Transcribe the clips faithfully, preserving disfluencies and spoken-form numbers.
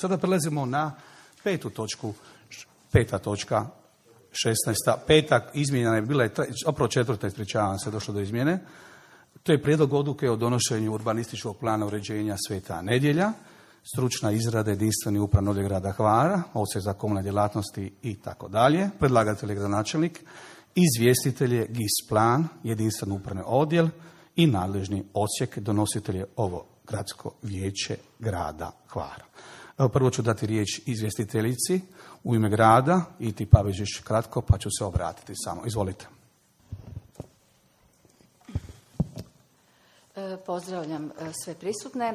Sada prelazimo na petu točku, peta točka, šesnaesta. Petak izmjena je bila, opravo četvrta, ispričavam se, došlo do izmjene. To je prijedlog odluke o donošenju urbanističkog plana uređenja Sveta Nedjelja, stručna izrada jedinstveni upravni odjel grada Hvara, odsjek za komunalne djelatnosti i tako dalje. Predlagatelj je gradonačelnik, izvjestitelj je G I S plan, jedinstveni upravni odjel i nadležni odsjek, donositelj je ovo gradsko vijeće grada Hvara. Evo, prvo ću dati riječ izvjestiteljici u ime grada i ti Pavežiš kratko, pa ću se obratiti samo. Izvolite. Pozdravljam sve prisutne.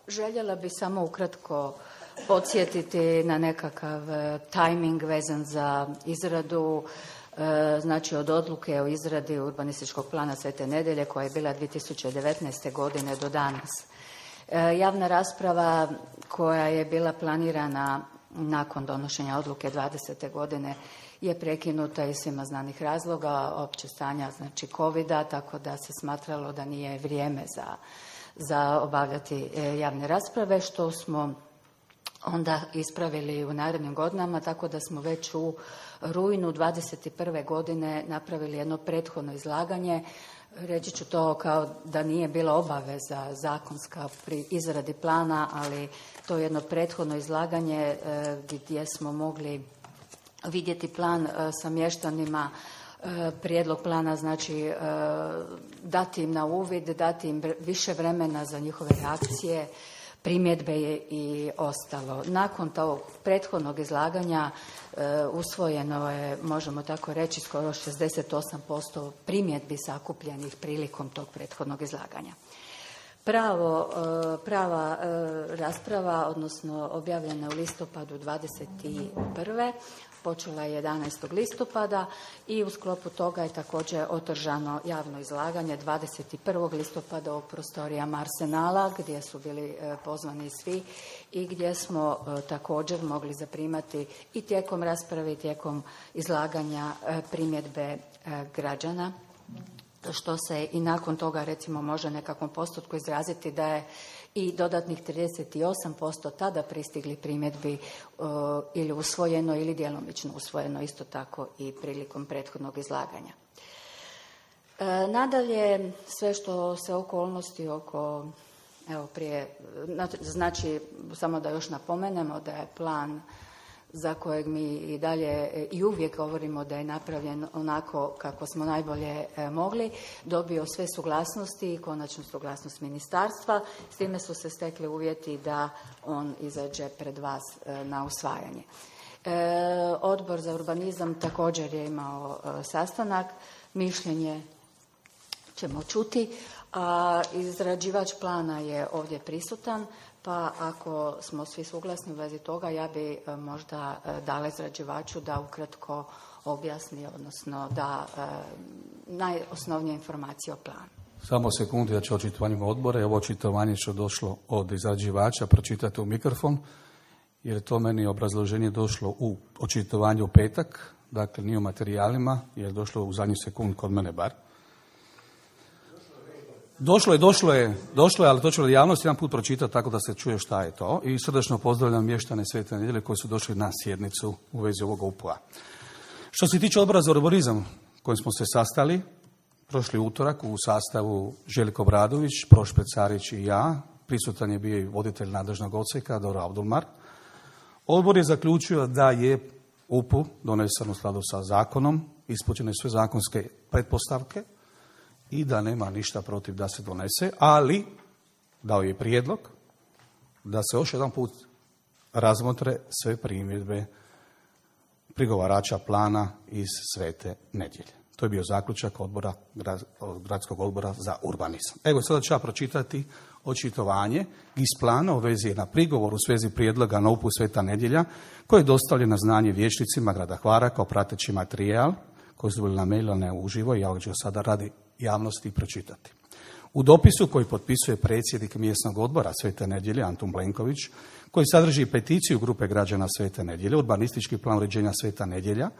Željela bi samo ukratko podsjetiti na nekakav tajming vezan za izradu, znači od odluke o izradi urbanističkog plana Svete Nedjelje koja je bila dvije tisuće devetnaeste. godine do danas. Javna rasprava koja je bila planirana nakon donošenja odluke dvadesete godine je prekinuta iz svima znanih razloga, opće stanja, znači covida, tako da se smatralo da nije vrijeme za, za obavljati javne rasprave, što smo onda ispravili u narednim godinama, tako da smo već u rujnu dvadeset prve. godine napravili jedno prethodno izlaganje. Reći ću to kao da nije bila obaveza zakonska pri izradi plana, ali to je jedno prethodno izlaganje gdje smo mogli vidjeti plan sa mještanima, prijedlog plana, znači dati im na uvid, dati im više vremena za njihove reakcije, primjedbe i ostalo. Nakon tog prethodnog izlaganja usvojeno je, možemo tako reći, skoro šezdeset osam posto primjedbi sakupljenih prilikom tog prethodnog izlaganja. Pravo, prava rasprava, odnosno objavljena u listopadu dvadeset prve. počela je jedanaestog listopada i u sklopu toga je također održano javno izlaganje dvadeset prvog listopada u prostorijama Arsenala gdje su bili pozvani svi i gdje smo također mogli zaprimati i tijekom rasprave i tijekom izlaganja primjedbe građana, što se i nakon toga recimo može nekakvom postotku izraziti da je i dodatnih trideset osam posto tada pristigli primjedbi uh, ili usvojeno ili djelomično usvojeno, isto tako i prilikom prethodnog izlaganja. E, nadalje, sve što se okolnosti oko, evo prije, znači samo da još napomenemo da je plan za kojeg mi i dalje i uvijek govorimo da je napravljen onako kako smo najbolje mogli, dobio sve suglasnosti i konačnu suglasnost ministarstva. S time su se stekli uvjeti da on izađe pred vas na usvajanje. Odbor za urbanizam također je imao sastanak, mišljenje ćemo čuti, a izrađivač plana je ovdje prisutan. Pa ako smo svi suglasni u vezi toga, ja bi možda dala izrađivaču da ukratko objasni, odnosno da e, najosnovnije informacije o planu. Samo sekundu, ja ću očitovanjem odbora i ovo očitovanje što je došlo od izrađivača pročitati u mikrofon, jer to meni obrazloženje došlo u očitovanju u petak, dakle nije u materijalima, jer je došlo u zadnji sekund kod mene bar. Došlo je, došlo je, došlo je, ali to ću javnost jedan put pročitati tako da se čuje šta je to. I srdačno pozdravljam mještane Svete Nedjelje koji su došli na sjednicu u vezi ovog U P U-a. Što se tiče odbora za urbanizam kojim smo se sastali prošli utorak u sastavu Željko Obradović, Prošpet Carić i ja, prisutan je bio i voditelj nadležnog odsjeka Doro Abdulmar. Odbor je zaključio da je U P U donesen u skladu sa zakonom, ispunjene sve zakonske pretpostavke i da nema ništa protiv da se donese, ali dao je prijedlog da se još jedan put razmotre sve primjedbe prigovarača plana iz Svete Nedjelje. To je bio zaključak odbora, gradskog odbora za urbanizam. Evo sada ću ja pročitati očitovanje G I S plana u vezi na prigovor u svezi prijedloga na U P U Sveta Nedjelja koji je dostavljen na znanje vijećnicima grada Hvara kao prateći materijal koji su bili na mail, a ne uživo, i ja ću sada radi javnosti pročitati. U dopisu koji potpisuje predsjednik mjesnog odbora Svete Nedjelje Antun Plenković, koji sadrži peticiju grupe građana Svete Nedjelje, urbanistički plan uređenja Sveta Nedjelja,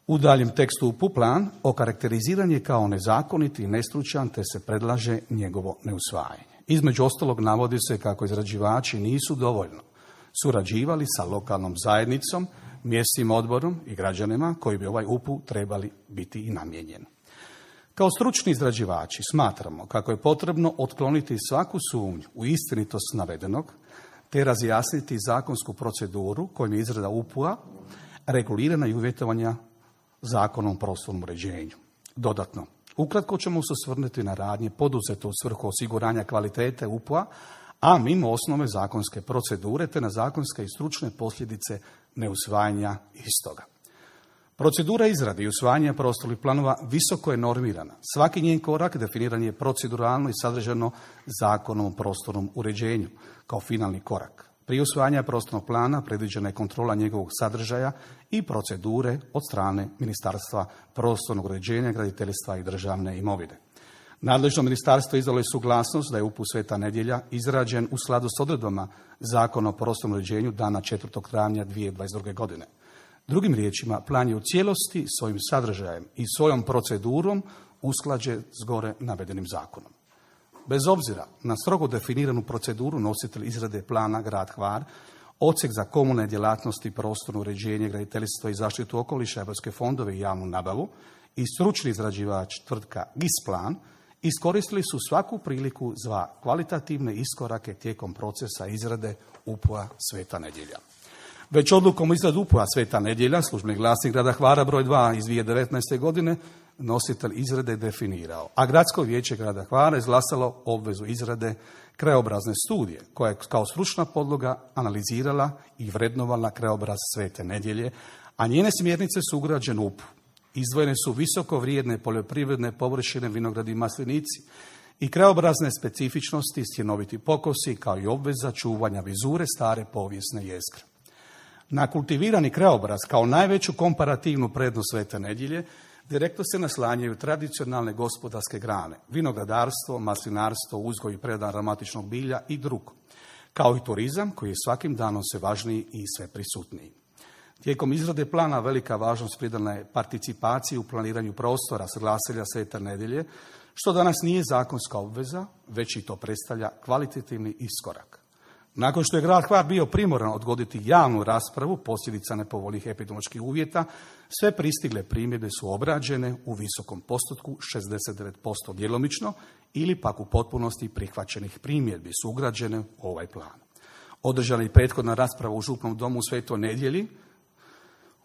u daljem tekstu U P U plan okarakteriziran je kao nezakoniti i nestručan, te se predlaže njegovo neusvajanje. Između ostalog navodi se kako izrađivači nisu dovoljno surađivali sa lokalnom zajednicom, mjesnim odborom i građanima koji bi ovaj U P U trebali biti i namijenjen. Kao stručni izrađivači smatramo kako je potrebno otkloniti svaku sumnju u istinitost navedenog te razjasniti zakonsku proceduru kojom je izrada U P U-a regulirana i uvjetovanja Zakonom o prostornom uređenju. Dodatno, ukratko ćemo se osvrnuti na radnje poduzete u svrhu osiguranja kvalitete U P U-a, a mimo osnove zakonske procedure te na zakonske i stručne posljedice neusvajanja istoga. Procedura izrade i usvajanja prostornih planova visoko je normirana. Svaki njen korak definiran je proceduralno i sadržano Zakonom o prostornom uređenju kao finalni korak. Prije usvajanja prostornog plana predviđena je kontrola njegovog sadržaja i procedure od strane Ministarstva prostornog uređenja, graditeljstva i državne imovine. Nadležno ministarstvo izdalo je suglasnost da je U P U Sveta Nedjelja izrađen u skladu s odredbama Zakona o prostornom uređenju dana četvrtog travnja dvije tisuće dvadeset druge. godine. Drugim riječima, plan je u cijelosti svojim sadržajem i svojom procedurom usklađen s gore navedenim zakonom. Bez obzira na strogo definiranu proceduru, nositelj izrade plana Grad Hvar, odsjek za komunalne djelatnosti, prostorno uređenje, graditeljstvo i zaštitu okoliša, europske fondove i javnu nabavu i stručni izrađivač tvrtka Gisplan iskoristili su svaku priliku za kvalitativne iskorake tijekom procesa izrade U P U-a Sveta Nedjelja. Već odlukom o izradi U P U-a Sveta Nedjelja, službeni glasnik Grada Hvara broj dva iz dvije tisuće devetnaeste. godine, nositelj izrade definirao, a Gradsko vijeće Grada Hvara izglasalo obvezu izrade krajobrazne studije, koja je kao stručna podloga analizirala i vrednovala krajobraz Svete Nedjelje, a njene smjernice su ugrađene u U P U. Izdvojene su visoko vrijedne poljoprivredne površine, vinogradi i maslinici i krajobrazne specifičnosti, stjenoviti pokosi, kao i obveza čuvanja vizure stare povijesne jezgre. Na kultivirani krajobraz kao najveću komparativnu prednost Svete Nedjelje direktno se naslanjaju tradicionalne gospodarske grane, vinogradarstvo, maslinarstvo, uzgoj i prerada aromatičnog bilja i drugo, kao i turizam koji je svakim danom sve važniji i sve prisutniji. Tijekom izrade plana velika važnost pridana je participaciji u planiranju prostora glaselja Svete Nedjelje, što danas nije zakonska obveza, već i to predstavlja kvalitativni iskorak. Nakon što je Grad Hvar bio primoran odgoditi javnu raspravu posljedica nepovoljnih epidemioloških uvjeta, sve pristigle primjedbe su obrađene u visokom postotku, šezdeset devet posto djelomično, ili pak u potpunosti prihvaćenih primjedbi su ugrađene u ovaj plan. Održana je prethodna rasprava u Župnom domu u Svetoj Nedjelji,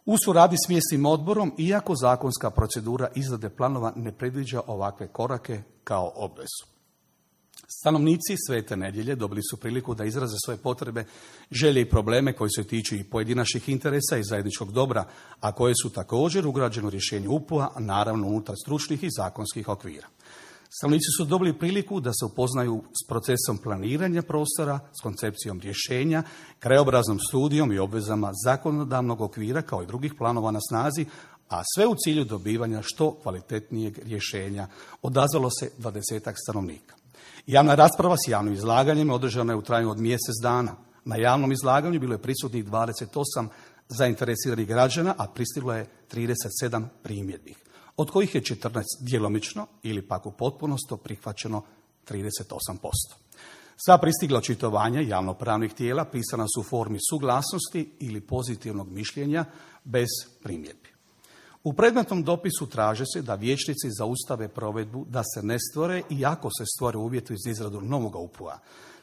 u suradnji s mjesnim odborom, iako zakonska procedura izrade planova ne predviđa ovakve korake kao obvezu. Stanovnici Svete Nedjelje dobili su priliku da izraze svoje potrebe, želje i probleme koji se tiču i pojedinačnih interesa i zajedničkog dobra, a koje su također ugrađene u rješenju U P U-a, naravno unutar stručnih i zakonskih okvira. Stanovnici su dobili priliku da se upoznaju s procesom planiranja prostora, s koncepcijom rješenja, krajobraznom studijom i obvezama zakonodavnog okvira kao i drugih planova na snazi, a sve u cilju dobivanja što kvalitetnijeg rješenja. Odazvalo se dvadesetak stanovnika. Javna rasprava s javnim izlaganjem održana je u trajanju od mjesec dana. Na javnom izlaganju bilo je prisutnih dvadeset osam zainteresiranih građana, a pristiglo je trideset sedam primjedbi, od kojih je četrnaest djelomično ili pak u potpunosti prihvaćeno trideset osam posto. Sva pristigla očitovanja javnopravnih tijela pisana su u formi suglasnosti ili pozitivnog mišljenja bez primjedbi. U predmetnom dopisu traže se da vijećnici zaustave provedbu da se ne stvore i ako se stvore uvjeti za izradu novog U P U-a,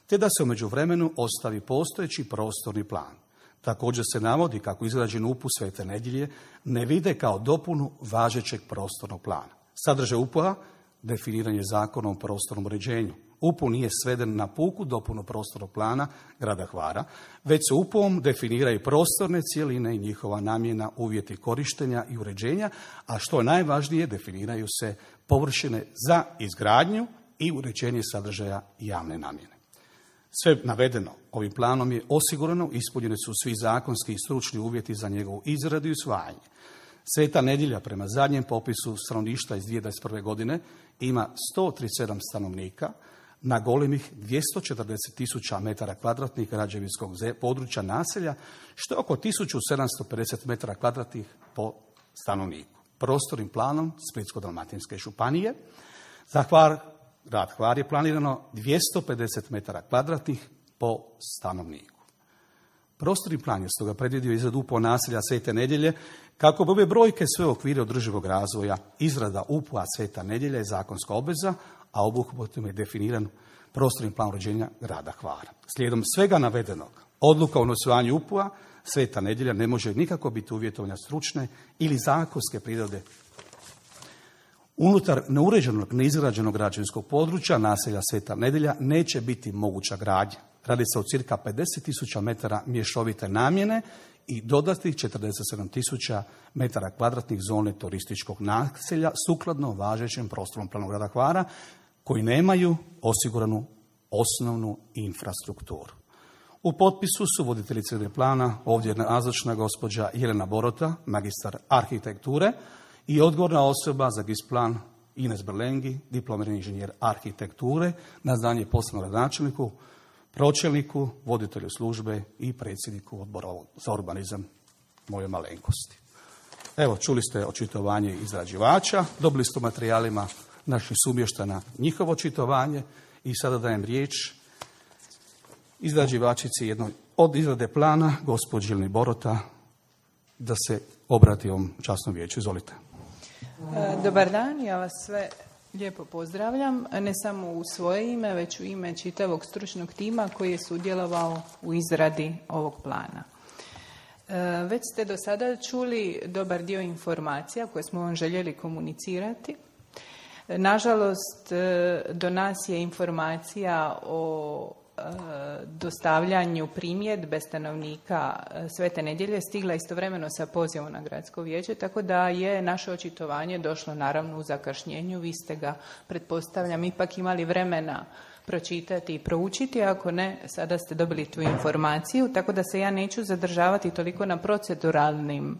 te da se u međuvremenu ostavi postojeći prostorni plan. Također se navodi kako izrađen U P U Svete Nedjelje ne vide kao dopunu važećeg prostornog plana. Sadržaj U P U-a definiran je Zakonom o prostornom uređenju. U P U nije sveden na puku dopunu prostornog plana Grada Hvara, već se U P U-om definiraju prostorne cjeline i njihova namjena, uvjeti korištenja i uređenja, a što je najvažnije, definiraju se površine za izgradnju i uređenje sadržaja javne namjene. Sve navedeno ovim planom je osigurano, ispunjeni su svi zakonski i stručni uvjeti za njegovu izradu i usvajanje. Sveta Nedjelja prema zadnjem popisu stanovništva iz dvije tisuće dvadeset prve. godine ima sto trideset sedam stanovnika na golemih dvjesto četrdeset tisuća metara kvadratnih građevinskog područja naselja, što je oko tisuću sedamsto pedeset metara kvadratnih po stanovniku. Prostornim planom Splitsko-dalmatinske županije za Hvar, Grad Hvar je planirano dvjesto pedeset metara kvadratnih po stanovniku. Prostorni plan je stoga predvidio izradu U P O naselja Svete Nedjelje kako bi ove brojke sve okvire održivog razvoja. Izrada U P O-a Sveta Nedjelja je zakonska obveza, a obuhvatom je definiran prostorni plan uređenja grada Hvara. Slijedom svega navedenog, odluka o usvajanju U P O-a Sveta Nedjelja ne može nikako biti uvjetovanja stručne ili zakonske prirode. Unutar neuređenog, neizgrađenog građevinskog područja naselja Sveta Nedjelja neće biti moguća gradnja. Radi se o cirka pedeset tisuća metara mješovite namjene i dodatnih četrdeset sedam tisuća metara kvadratnih zone turističkog naselja sukladno važećem prostornom planu grada Hvara koji nemaju osiguranu osnovnu infrastrukturu. U potpisu su voditeljice plana, ovdje nazočna gospođa Jelena Borota, magistar arhitekture, i odgovorna osoba za G I S plan Ines Brlengi, diplomirani inženjer arhitekture, na znanje poslano gradonačelniku, pročelniku, voditelju službe i predsjedniku odbora za urbanizam moje malenkosti. Evo, čuli ste očitovanje izrađivača, dobili ste u materijalima naših sumještana njihovo očitovanje i sada dajem riječ izrađivačici jednoj od izrade plana, gospođi Jeleni Borota, da se obrati ovom časnom vijeću. Izvolite. Dobar dan, ja vas sve lijepo pozdravljam, ne samo u svoje ime, već u ime čitavog stručnog tima koji je sudjelovao u izradi ovog plana. Već ste do sada čuli dobar dio informacija koje smo vam željeli komunicirati. Nažalost, do nas je informacija o dostavljanju primjedbe stanovnika Svete Nedjelje stigla istovremeno sa pozivom na gradsko vijeće, tako da je naše očitovanje došlo naravno u zakašnjenju. Vi ste ga, pretpostavljam, ipak imali vremena pročitati i proučiti, ako ne, sada ste dobili tu informaciju, tako da se ja neću zadržavati toliko na proceduralnim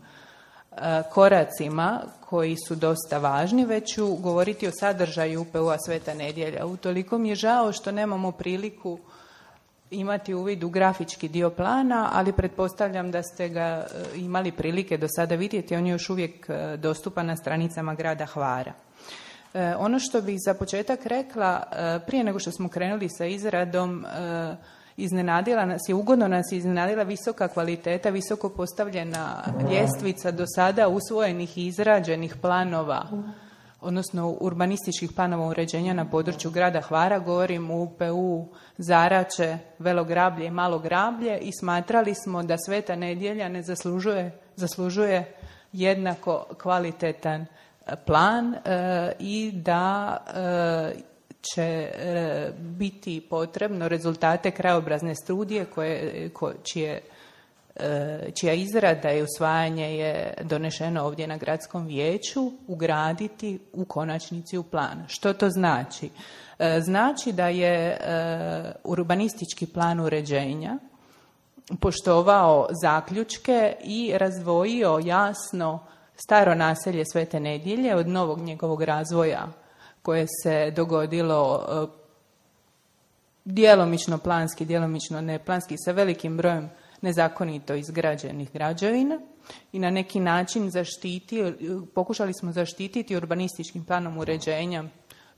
koracima koji su dosta važni, već ću govoriti o sadržaju U P O-a Sveta Nedjelja. Utoliko mi je žao što nemamo priliku imati uvid u grafički dio plana, ali pretpostavljam da ste ga imali prilike do sada vidjeti. On je još uvijek dostupan na stranicama grada Hvara. Ono što bih za početak rekla, prije nego što smo krenuli sa izradom, iznenadila nas je, ugodno nas je iznenadila visoka kvaliteta, visoko postavljena ljestvica do sada usvojenih i izrađenih planova, odnosno urbanističkih planova uređenja na području grada Hvara. Govorim u U P U Zarače, Velograblje i Malo Grablje, i smatrali smo da Sveta Nedjelja ne zaslužuje, zaslužuje jednako kvalitetan plan e, i da e, će e, biti potrebno rezultate krajobrazne studije koje, ko, čije, e, čija izrada i usvajanje je donešeno ovdje na gradskom vijeću, ugraditi u konačnici u plan. Što to znači? E, znači da je e, urbanistički plan uređenja poštovao zaključke i razdvojio jasno staro naselje Svete Nedjelje od novog njegovog razvoja koje se dogodilo djelomično planski, djelomično neplanski, sa velikim brojem nezakonito izgrađenih građevina, i na neki način zaštiti, pokušali smo zaštititi urbanističkim planom uređenja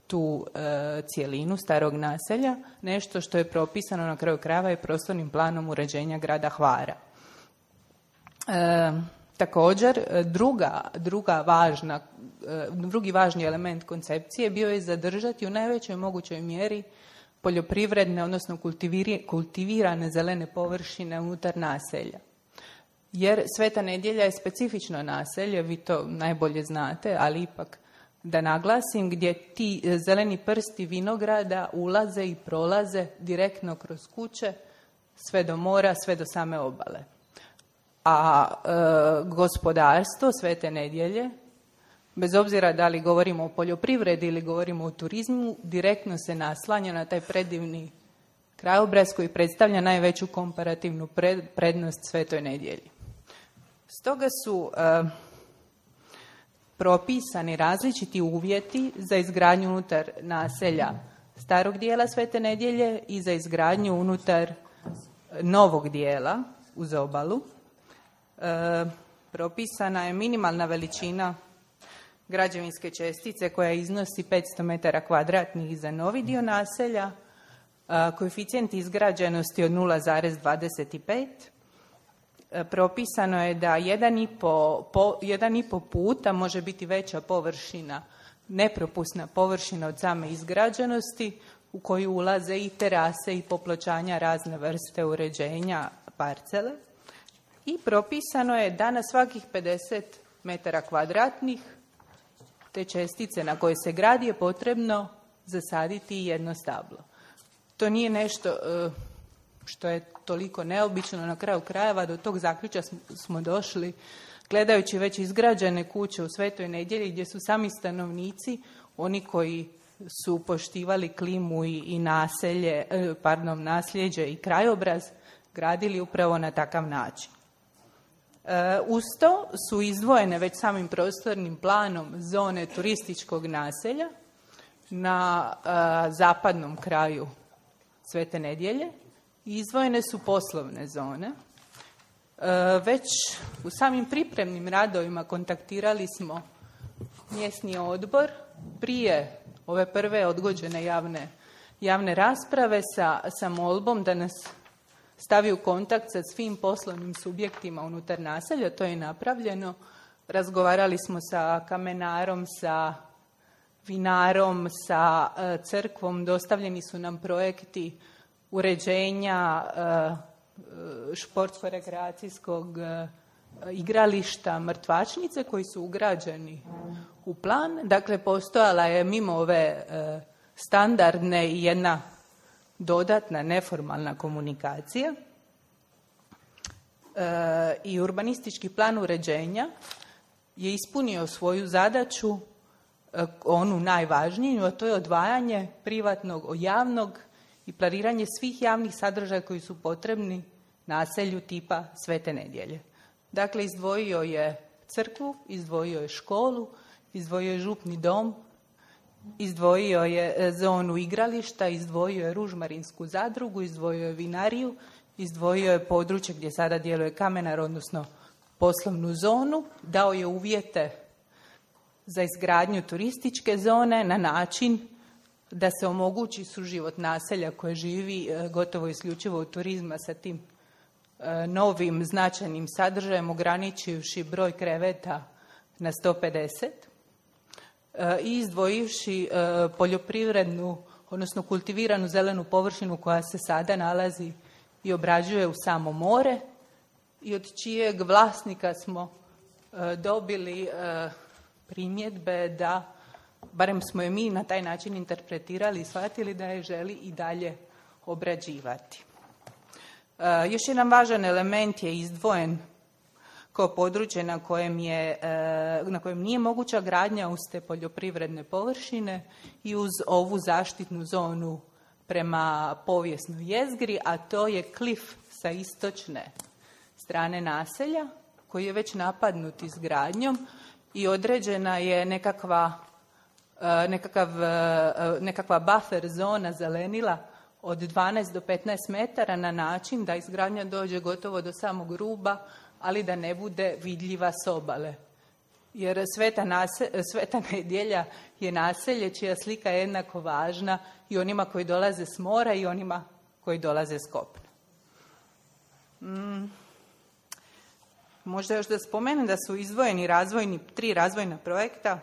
tu e, cijelinu starog naselja, nešto što je propisano na kraju krajeva i prostornim planom uređenja grada Hvara. E, također, druga, druga važna, drugi važni element koncepcije bio je zadržati u najvećoj mogućoj mjeri poljoprivredne, odnosno kultivirane zelene površine unutar naselja. Jer Sveta Nedjelja je specifično naselje, vi to najbolje znate, ali ipak da naglasim, gdje ti zeleni prsti vinograda ulaze i prolaze direktno kroz kuće, sve do mora, sve do same obale. A e, gospodarstvo Svete Nedjelje, bez obzira da li govorimo o poljoprivredi ili govorimo o turizmu, direktno se naslanja na taj predivni krajobraz koji predstavlja najveću komparativnu pred, prednost Svetoj Nedjelji. Stoga su e, propisani različiti uvjeti za izgradnju unutar naselja starog dijela Svete Nedjelje i za izgradnju unutar novog dijela uz obalu. E, propisana je minimalna veličina građevinske čestice koja iznosi petsto metara kvadratnih za novi dio naselja, a, koeficijent izgrađenosti od nula zarez dvadeset pet propisano je da jedan i po, po, jedan i po puta može biti veća površina, nepropusna površina od same izgrađenosti, u koju ulaze i terase i popločanja, razne vrste uređenja parcele. I propisano je da na svakih pedeset metara kvadratnih te čestice na koje se gradi je potrebno zasaditi jedno stablo. To nije nešto što je toliko neobično, na kraju krajeva do tog zaključka smo došli gledajući već izgrađene kuće u Svetoj Nedjelji gdje su sami stanovnici, oni koji su poštivali klimu i, i naselje, pardon, nasljeđe i krajobraz, gradili upravo na takav način. E, uz to su izdvojene već samim prostornim planom zone turističkog naselja na a, zapadnom kraju Svete Nedjelje. Izdvojene su poslovne zone. E, već u samim pripremnim radovima kontaktirali smo mjesni odbor prije ove prve odgođene javne, javne rasprave sa, sa molbom da nas stavi u kontakt sa svim poslovnim subjektima unutar naselja. To je napravljeno. Razgovarali smo sa kamenarom, sa vinarom, sa e, crkvom. Dostavljeni su nam projekti uređenja e, športsko-rekreacijskog e, igrališta, mrtvačnice koji su ugrađeni u plan. Dakle, postojala je mimo ove e, standardne i jedna dodatna neformalna komunikacija. E, I urbanistički plan uređenja je ispunio svoju zadaću, e, onu najvažniju, a to je odvajanje privatnog od javnog i planiranje svih javnih sadržaja koji su potrebni naselju tipa Svete Nedjelje. Dakle, izdvojio je crkvu, izdvojio je školu, izdvojio je župni dom, izdvojio je zonu igrališta, izdvojio je ružmarinsku zadrugu, izdvojio je vinariju, izdvojio je područje gdje sada djeluje kamenar, odnosno poslovnu zonu, dao je uvjete za izgradnju turističke zone na način da se omogući suživot naselja koje živi gotovo isključivo od turizma sa tim novim značajnim sadržajem, ograničivši broj kreveta na sto pedeset i izdvojivši poljoprivrednu, odnosno kultiviranu zelenu površinu koja se sada nalazi i obrađuje u samo more i od čijeg vlasnika smo dobili primjedbe da, barem smo je mi na taj način interpretirali i shvatili da je želi i dalje obrađivati. Uh, još jedan važan element je izdvojen kao područje na kojem, je, uh, na kojem nije moguća gradnja uz te poljoprivredne površine i uz ovu zaštitnu zonu prema povijesnoj jezgri, a to je klif sa istočne strane naselja koji je već napadnut izgradnjom i određena je nekakva, uh, nekakav, uh, nekakva buffer zona zelenila od dvanaest do petnaest metara na način da izgradnja dođe gotovo do samog ruba, ali da ne bude vidljiva s obale. Jer Sveta, nase, Sveta Nedjelja je naselje čija slika je jednako važna i onima koji dolaze s mora i onima koji dolaze s kopna. Mm. Možda još da spomenem da su izdvojeni razvojni, tri razvojna projekta: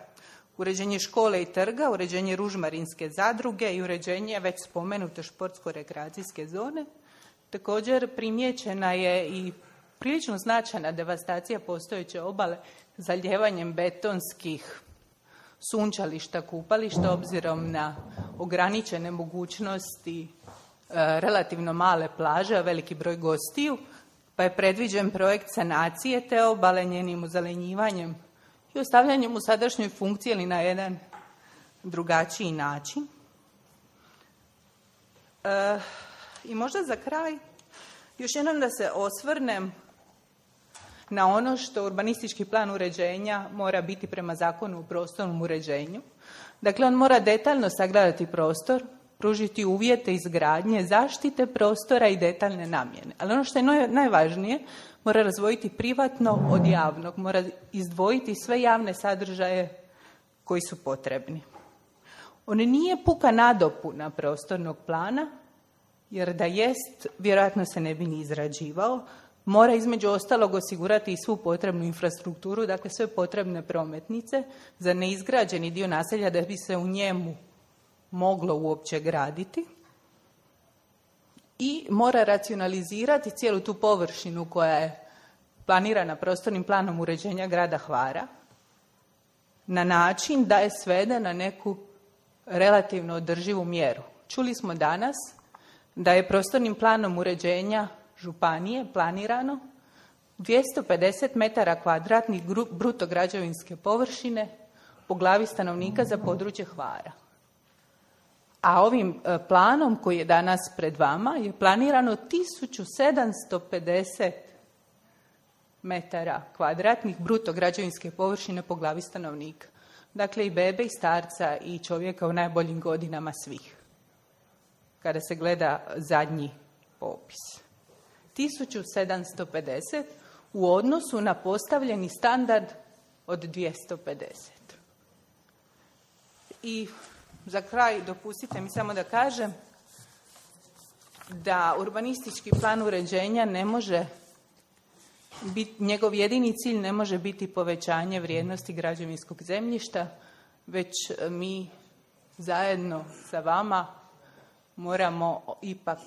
uređenje škole i trga, uređenje ružmarinske zadruge i uređenje već spomenute športsko-rekreacijske zone. Također primijećena je i prilično značajna devastacija postojeće obale zaljevanjem betonskih sunčališta, kupališta, obzirom na ograničene mogućnosti e, relativno male plaže, a veliki broj gostiju, pa je predviđen projekt sanacije te obale njenim ozelenjivanjem i ostavljanjem u sadašnjoj funkciji ili na jedan drugačiji način. E, I možda za kraj još jednom da se osvrnem na ono što urbanistički plan uređenja mora biti prema Zakonu o prostornom uređenju. Dakle, on mora detaljno sagledati prostor, pružiti uvjete izgradnje, zaštite prostora i detaljne namjene. Ali ono što je najvažnije, mora razdvojiti privatno od javnog, mora izdvojiti sve javne sadržaje koji su potrebni. On nije puka nadopuna prostornog plana, jer da jest, vjerojatno se ne bi ni izrađivao. mora između ostalog osigurati i svu potrebnu infrastrukturu, dakle sve potrebne prometnice za neizgrađeni dio naselja da bi se u njemu moglo uopće graditi. I mora racionalizirati cijelu tu površinu koja je planirana prostornim planom uređenja grada Hvara na način da je svede na neku relativno održivu mjeru. Čuli smo danas da je prostornim planom uređenja županije planirano dvjesto pedeset metara kvadratnih bruto građevinske površine po glavi stanovnika za područje Hvara. A ovim planom koji je danas pred vama je planirano tisuću sedamsto pedeset metara kvadratnih bruto građevinske površine po glavi stanovnika. Dakle, i bebe, i starca, i čovjeka u najboljim godinama svih. Kada se gleda zadnji popis. tisuću sedamsto pedeset u odnosu na postavljeni standard od dvjesto pedeset. I za kraj dopustite mi samo da kažem da urbanistički plan uređenja ne može biti, njegov jedini cilj ne može biti povećanje vrijednosti građevinskog zemljišta, već mi zajedno sa vama moramo ipak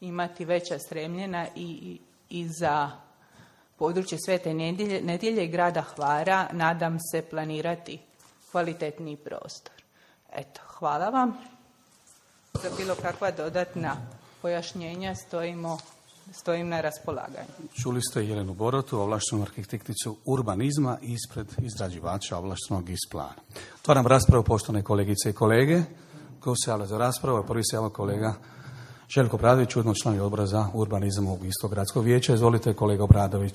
imati veća stremljena i, i za područje Svete Nedjelje, Nedjelje i grada Hvara, nadam se, planirati kvalitetniji prostor. Eto, hvala vam. Za bilo kakva dodatna pojašnjenja stojimo, stojim na raspolaganju. Čuli ste Jelenu Borotu, ovlaštenu arhitekticu urbanizma ispred izrađivača ovlaštenog iz plana. Otvaram raspravu, poštovane kolegice i kolege. Ko se javlja za raspravu? Prvi se javlja kolega Željko Obradović, ujedno član odbora za urbanizam ovog istog gradskog vijeća. Izvolite, kolega Obradović.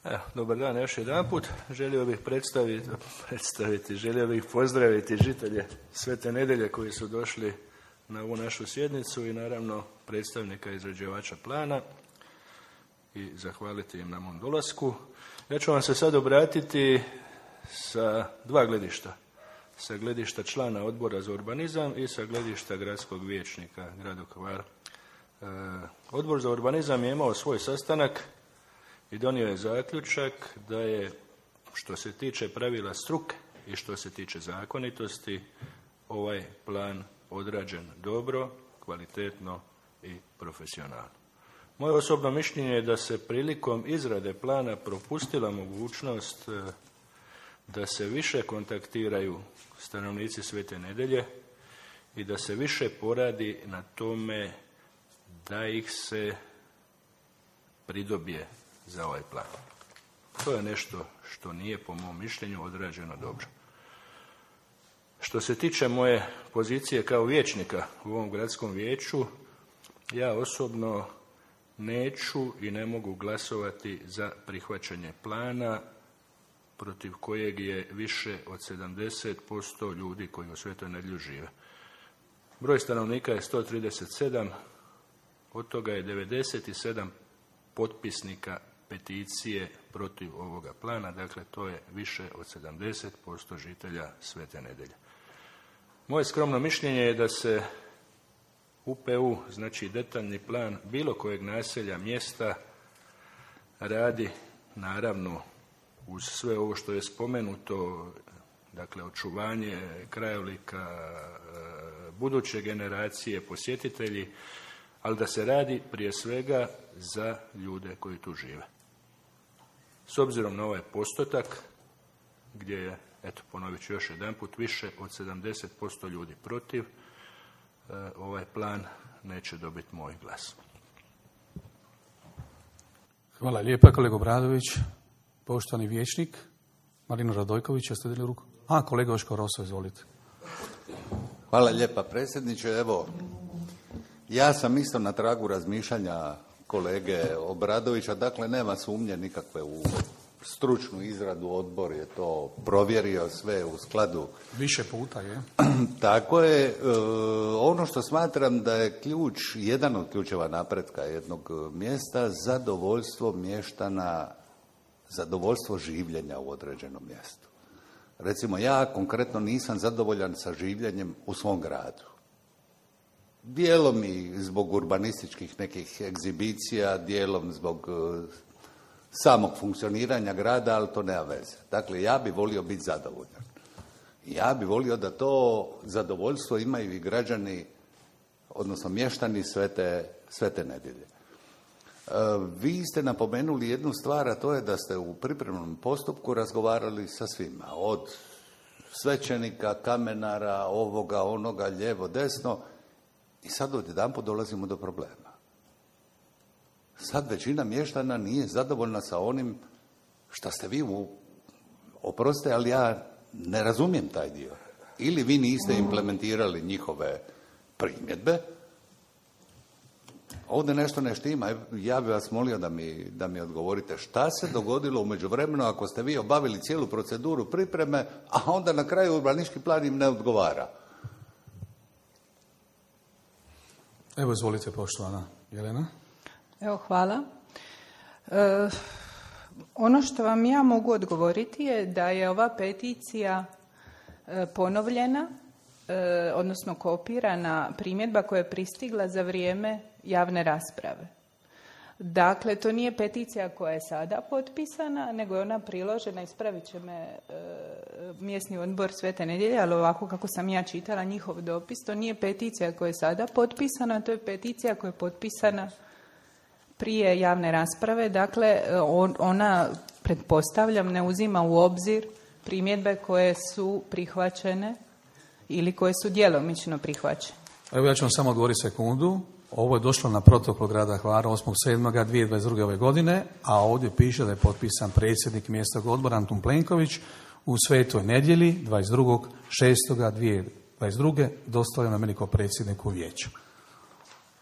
Evo, dobar dan još jedan put. Želio bih predstaviti, predstaviti, želio bih pozdraviti žitelje Svete Nedjelje koji su došli na ovu našu sjednicu i naravno predstavnika izrađivača plana i zahvaliti im na mom dolasku. Ja ću vam se sad obratiti sa dva gledišta. Sa gledišta člana odbora za urbanizam i sa gledišta gradskog vijećnika grada Hvara. E, odbor za urbanizam je imao svoj sastanak i donio je zaključak da je, što se tiče pravila struke i što se tiče zakonitosti, ovaj plan odrađen dobro, kvalitetno i profesionalno. Moje osobno mišljenje je da se prilikom izrade plana propustila mogućnost da se više kontaktiraju stanovnici Svete Nedjelje i da se više poradi na tome da ih se pridobije za ovaj plan. To je nešto što nije, po mom mišljenju, odrađeno dobro. Što se tiče moje pozicije kao vijećnika u ovom gradskom vijeću, ja osobno neću i ne mogu glasovati za prihvaćanje plana protiv kojeg je više od sedamdeset posto ljudi koji u Svetoj Nedjelji žive. Broj stanovnika je sto trideset sedam, od toga je devedeset sedam potpisnika peticije protiv ovoga plana, dakle to je više od sedamdeset posto žitelja Svete Nedjelje. Moje skromno mišljenje je da se U P U, znači detaljni plan bilo kojeg naselja, mjesta, radi naravno uz sve ovo što je spomenuto, dakle očuvanje krajolika, buduće generacije, posjetitelji, ali da se radi prije svega za ljude koji tu žive. S obzirom na ovaj postotak, gdje je, eto ponovit ću još jedan put, više od sedamdeset posto ljudi protiv, ovaj plan neće dobiti moj glas. Hvala lijepa, kolega Obradović. Poštovani vijećnik, Marino Radojković, jeste digli ruku? A, kolega Joško Roso, izvolite. Hvala lijepa, predsjedniče. Evo, ja sam isto na tragu razmišljanja kolege Obradovića, dakle nema sumnje nikakve u stručnu izradu, odbor je to provjerio sve u skladu. Više puta, je. Tako je. E, ono što smatram da je ključ, jedan od ključeva napretka jednog mjesta, zadovoljstvo mještana, zadovoljstvo življenja u određenom mjestu. Recimo, ja konkretno nisam zadovoljan sa življenjem u svom gradu. Dijelom i zbog urbanističkih nekih egzibicija, dijelom zbog uh, samog funkcioniranja grada, ali to nema veze. Dakle, ja bi volio biti zadovoljan. Ja bi volio da to zadovoljstvo imaju i građani, odnosno mještani Svete, Svete Nedjelje. Uh, vi ste napomenuli jednu stvar, a to je da ste u pripremnom postupku razgovarali sa svima. Od svećenika, kamenara, ovoga, onoga, lijevo, desno. I sad odjedanput dolazimo do problema. Sad većina mještana nije zadovoljna sa onim što ste vi u... Oprostite, ali ja ne razumijem taj dio. Ili vi niste implementirali njihove primjedbe. Ovdje nešto ne štima. Ja bih vas molio da mi, da mi odgovorite šta se dogodilo u međuvremenu ako ste vi obavili cijelu proceduru pripreme, a onda na kraju urbanistički plan im ne odgovara. Evo, izvolite, poštovana Jelena. Evo, hvala. E, ono što vam ja mogu odgovoriti je da je ova peticija e, ponovljena, e, odnosno kopirana primjedba koja je pristigla za vrijeme javne rasprave. Dakle, to nije peticija koja je sada potpisana, nego je ona priložena, ispravit će me e, mjesni odbor Svete Nedjelje, ali ovako kako sam ja čitala njihov dopis, to nije peticija koja je sada potpisana, to je peticija koja je potpisana prije javne rasprave. Dakle, on, ona, pretpostavljam, ne uzima u obzir primjedbe koje su prihvaćene ili koje su djelomično prihvaćene. Evo, ja ću vam samo odgovoriti sekundu. Ovo je došlo na protokol grada Hvara osmog sedmog dvije tisuće dvadeset druge ove godine, a ovdje piše da je potpisan predsjednik mjesnog odbora Antun Plenković u Svetoj Nedjelji dvadeset drugog šestog dvije tisuće dvadeset druge dostavljeno meni kao predsjedniku vijeća.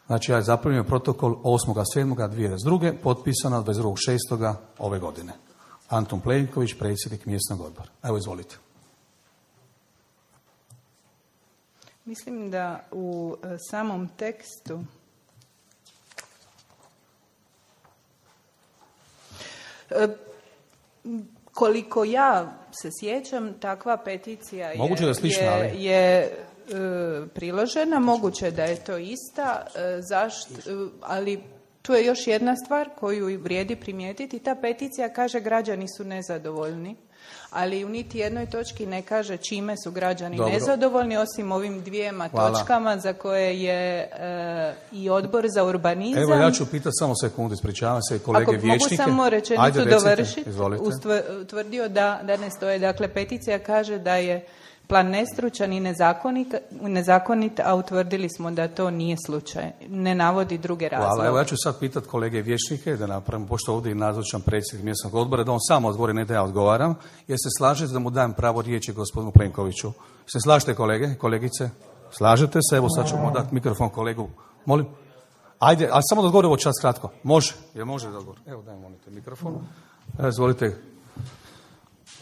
Znači, ja je zaprimio protokol osmog sedmog dvije tisuće dvadeset druge potpisano dvadeset drugog šestog ove godine. Antun Plenković, predsjednik mjesnog odbora. Evo, izvolite. Mislim da u samom tekstu koliko ja se sjećam, takva peticija je, moguće da slična, ali... je, je e, priložena, moguće da je to ista, e, zašt, e, ali tu je još jedna stvar koju vrijedi primijetiti. Ta peticija kaže građani su nezadovoljni, ali u niti jednoj točki ne kaže čime su građani Dobro. nezadovoljni, osim ovim dvijema Hvala. točkama za koje je e, i odbor za urbanizam. Evo, ja ću pitati samo sekundu, ispričavam se kolege Ako vijećnike. Ako mogu samo rečenicu Ajde, dovršiti, utvrdio da, da ne stoje. Dakle, peticija kaže da je plan nestručan i nezakonit, nezakonit, a utvrdili smo da to nije slučaj. Ne navodi druge razloge. Hvala. Evo, ja ću sad pitati kolege vijećnike da napravim, pošto ovdje je nazočan predsjednik mjesnog odbora, da on samo odgovori, ne da ja odgovaram, jer se slažete da mu dajem pravo riječi gospodinu Plenkoviću. Se slažete, kolege, kolegice? Slažete se? Evo, sad ćemo dati mikrofon kolegu. Molim? Ajde, ali samo da odgovori ovo čas kratko. Može? Jel može da odgovori? Evo, dajmo monite mikrofon. Evo, izvolite.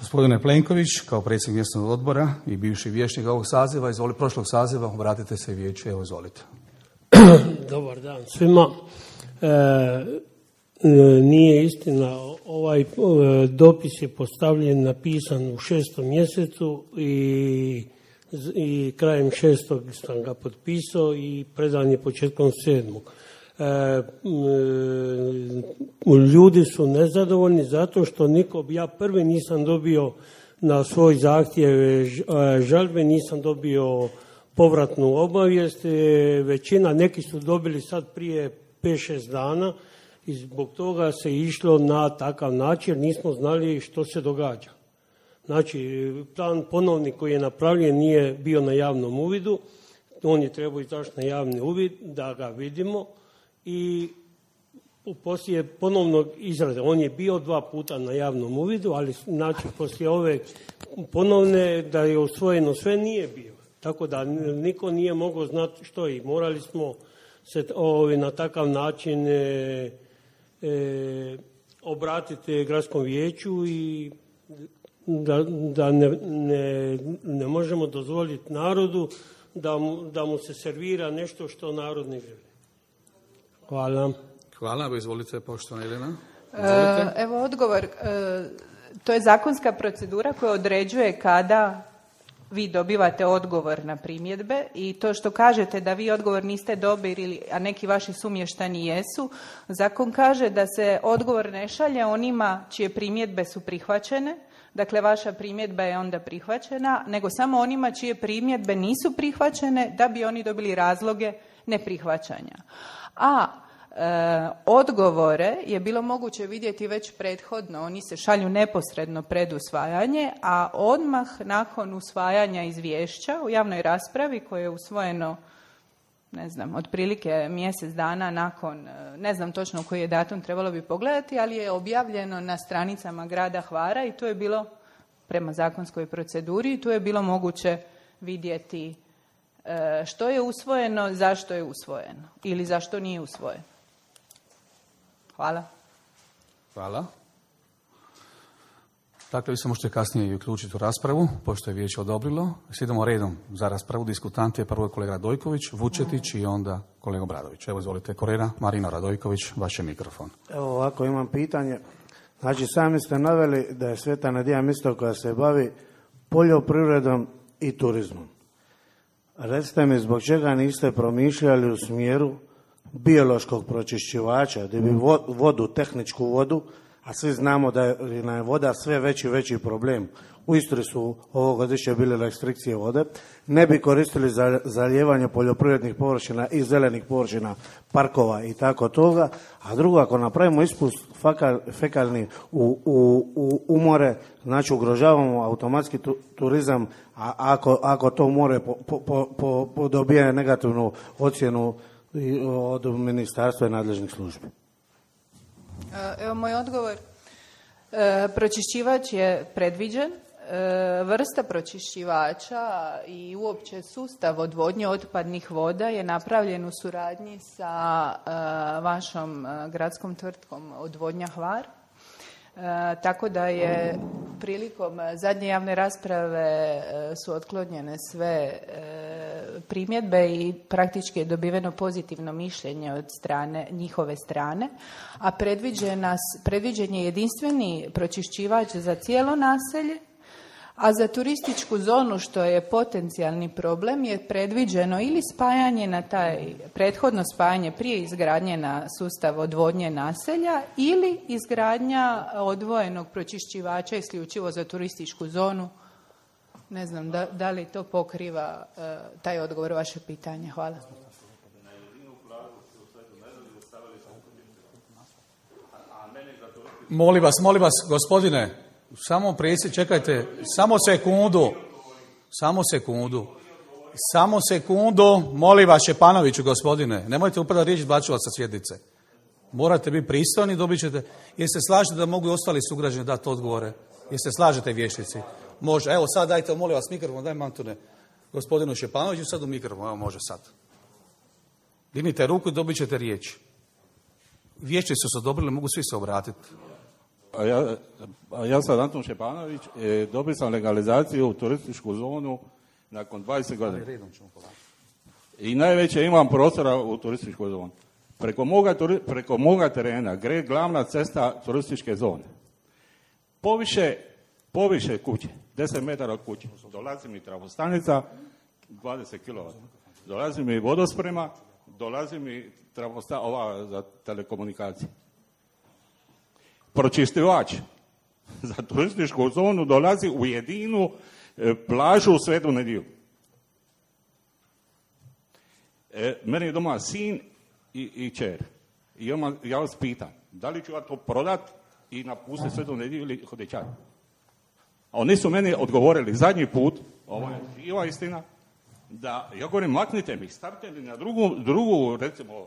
Gospodine Plenković, kao predsjednik mjesnog odbora i bivši vijećnik ovog saziva, izvolite, prošlog saziva, obratite se vijeću, evo, izvolite. Dobar dan svima. E, nije istina, ovaj e, dopis je postavljen, napisan u šestom mjesecu i, i krajem šestog sam ga potpisao i predan je početkom sedmog. E, ljudi su nezadovoljni zato što niko, ja prvi nisam dobio na svoj zahtjev žalbe, nisam dobio povratnu obavijest, većina, neki su dobili sad prije pet šest dana i zbog toga se išlo na takav način, nismo znali što se događa. Znači, plan ponovni koji je napravljen nije bio na javnom uvidu, on je trebao izaći na javni uvid da ga vidimo i poslije ponovnog izrade. On je bio dva puta na javnom uvidu, ali znači poslije ove ponovne da je usvojeno sve nije bio. Tako da niko nije mogao znati što je. Morali smo se ovi, na takav način e, e, obratiti gradskom vijeću i da, da ne, ne, ne možemo dozvoliti narodu da mu, da mu se servira nešto što narod ne želi. Hvala. Hvala, izvolite, poštovana Jelena. E, evo odgovor. E, to je zakonska procedura koja određuje kada vi dobivate odgovor na primjedbe i to što kažete da vi odgovor niste dobili, a neki vaši sumještani jesu, zakon kaže da se odgovor ne šalje onima čije primjedbe su prihvaćene, dakle vaša primjedba je onda prihvaćena, nego samo onima čije primjedbe nisu prihvaćene da bi oni dobili razloge neprihvaćanja. A E, odgovore je bilo moguće vidjeti već prethodno, oni se šalju neposredno pred usvajanje, a odmah nakon usvajanja izvješća u javnoj raspravi koje je usvojeno, ne znam, otprilike mjesec dana nakon, ne znam točno koji je datum, trebalo bi pogledati, ali je objavljeno na stranicama grada Hvara i to je bilo prema zakonskoj proceduri i tu je bilo moguće vidjeti e, što je usvojeno, zašto je usvojeno ili zašto nije usvojeno. Hvala. Hvala. Dakle, vi se možete kasnije i uključiti u raspravu, pošto je vijeće odobrilo. Idemo redom za raspravu. Diskutanti je prvo kolega Radojković, Vučetić i onda kolega Obradović. Evo, izvolite, kolega Marina Radojković, vaš je mikrofon. Evo ovako, imam pitanje. Znači, sami ste naveli da je Sveta Nedjelja mjesto koja se bavi poljoprivredom i turizmom. Recite mi, zbog čega niste promišljali u smjeru biološkog pročišćivača, gdje bi vodu, tehničku vodu, a svi znamo da je voda sve veći veći problem. U Istri su ovog godišnje bile restrikcije vode, ne bi koristili za zalijevanje poljoprivrednih površina i zelenih površina, parkova i tako toga, a drugo, ako napravimo ispust fakal, fekalni u, u, u, u more, znači ugrožavamo automatski tu, turizam, a ako, ako to more po, po, po, po, po dobije negativnu ocjenu od ministarstva i nadležnih službi. Evo moj odgovor. E, pročišćivač je predviđen. E, vrsta pročišćivača i uopće sustav odvodnje otpadnih voda je napravljen u suradnji sa e, vašom gradskom tvrtkom Odvodnja Hvar. E, tako da je prilikom zadnje javne rasprave e, su otklonjene sve e, primjedbe i praktički je dobiveno pozitivno mišljenje od strane njihove strane, a predviđena, predviđen je jedinstveni pročišćivač za cijelo naselje, a za turističku zonu, što je potencijalni problem, je predviđeno ili spajanje na taj, prethodno spajanje prije izgradnje na sustav odvodnje naselja ili izgradnja odvojenog pročišćivača isključivo za turističku zonu. Ne znam da, da li to pokriva uh, taj odgovor vaše pitanje. Hvala. Molim vas, molim vas, gospodine, samo presi, čekajte, samo sekundu, samo sekundu, samo sekundu, molim vas, Šepanoviću, gospodine, nemojte upadati riječ izbačivati sa sjednice. Morate biti pristojni, dobit ćete, jer se slažete da mogu i ostali sugrađani dati odgovore, jer se slažete vijećnici. Može, evo sad dajte, molim vas, mikrofon, daj Antune, gospodinu Šepanoviću, sad u mikrofon, evo može sad. Dignite ruku i dobit ćete riječ. Vijećnici su se odobrili, mogu svi se obratiti. A ja, a ja sam Anton Šepanović, e, dobio sam legalizaciju u turističku zonu nakon dvadeset godina. I najveće imam prostora u turističkoj zoni. Preko moga, preko moga terena gre glavna cesta turističke zone. Poviše, poviše kuće, deset metara od kuće, dolazi mi trafostanica, dvadeset kilovata. Dolazi mi vodosprema, dolazi mi trafosta, ova za telekomunikacije. Pročišćivač za turističku zonu dolazi u jedinu e, plažu u Svetu Nedjelju. E, meni je doma sin i, i čer. I ja, ja vas pitam, da li ću ja to prodat i napustiti Svetu Nedjelju ili hodečar? A oni su meni odgovorili zadnji put, ovo je živa istina, da ja govorim, maknite mi, stavite mi na drugu, drugu recimo,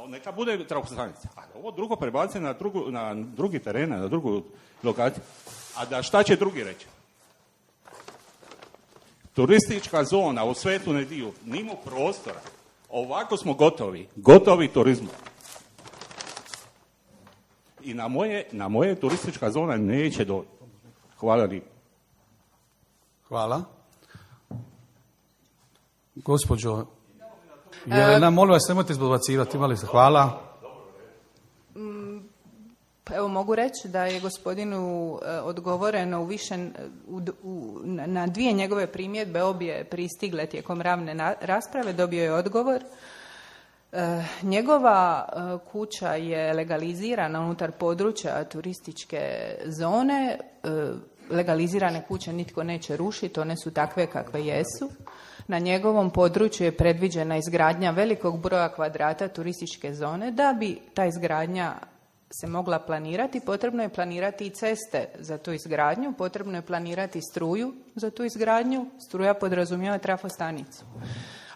neka bude trafostanica, a ovo drugo prebaci na, drugu, na drugi teren, na drugu lokaciju. A da šta će drugi reći? Turistička zona u Svetu Nedjelju, nima prostora. Ovako smo gotovi, gotovi turizmu. I na moje, na moje turistička zona neće doći. Hvala lijepo. Hvala. Gospođo Jelena, molim vas, nemojte izbacivati, imali se. Hvala. Pa evo mogu reći da je gospodinu e, odgovoreno u više, u, u, na dvije njegove primjedbe, obje pristigle tijekom ravne na, rasprave, dobio je odgovor. E, njegova e, kuća je legalizirana unutar područja turističke zone. E, legalizirane kuće nitko neće rušiti, one su takve kakve jesu. Na njegovom području je predviđena izgradnja velikog broja kvadrata turističke zone. Da bi ta izgradnja se mogla planirati, potrebno je planirati i ceste za tu izgradnju, potrebno je planirati struju za tu izgradnju, struja podrazumijeva trafostanicu.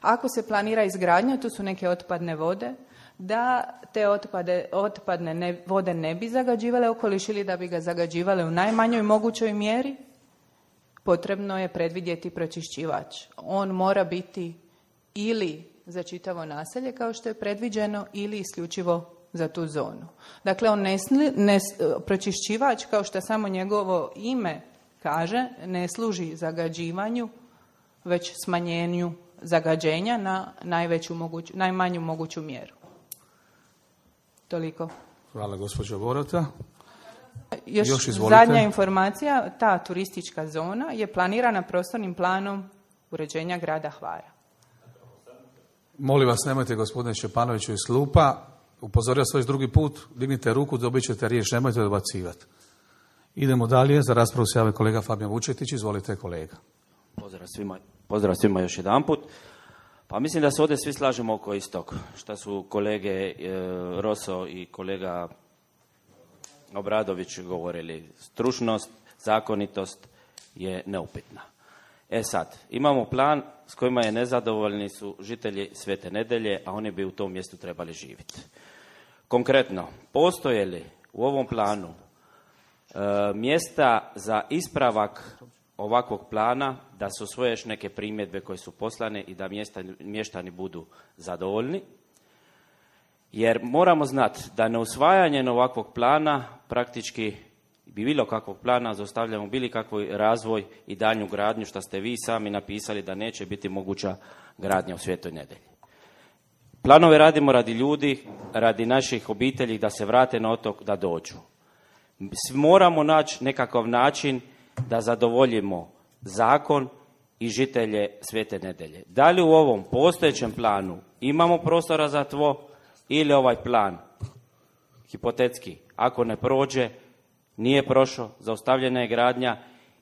Ako se planira izgradnja, tu su neke otpadne vode, da te otpade, otpadne ne, vode ne bi zagađivale okoliš ili da bi ga zagađivale u najmanjoj mogućoj mjeri, potrebno je predvidjeti pročišćivač. On mora biti ili za čitavo naselje, kao što je predviđeno, ili isključivo za tu zonu. Dakle, on ne, ne, pročišćivač, kao što samo njegovo ime kaže, ne služi zagađivanju, već smanjenju zagađenja na najveću moguću, najmanju moguću mjeru. Toliko. Hvala, gospođo Borota. Još, Još zadnja informacija, ta turistička zona je planirana prostornim planom uređenja grada Hvara. Molim vas, nemojte gospodine Šćepanoviću iz klupa. Upozorio sam već drugi put, dignite ruku, dobit ćete riječ, nemojte dobacivati. Idemo dalje, za raspravu se javio kolega Fabijan Vučetić, izvolite kolega. Pozdrav svima, pozdrav svima još jedan put. Pa mislim da se ovdje svi slažemo oko istog, što su kolege e, Roso i kolega Obradović govorili. Stručnost, zakonitost je neupitna. E sad, imamo plan s kojima je nezadovoljni su žitelji Svete Nedelje, a oni bi u tom mjestu trebali živjeti. Konkretno, postoje li u ovom planu e, mjesta za ispravak ovakvog plana, da se usvoje još neke primjedbe koje su poslane i da mještani, mještani budu zadovoljni? Jer moramo znati da neusvajanjem ovakvog plana praktički bi bilo kakvog plana zaustavljamo bilo kakvoj razvoj i daljnju gradnju, što ste vi sami napisali da neće biti moguća gradnja u Svetoj Nedelji. Planove radimo radi ljudi, radi naših obitelji da se vrate na otok, da dođu. Moramo naći nekakav način da zadovoljimo zakon i žitelje Svete Nedelje. Da li u ovom postojećem planu imamo prostora za to ili ovaj plan, hipotetski, ako ne prođe, nije prošao, zaustavljena je gradnja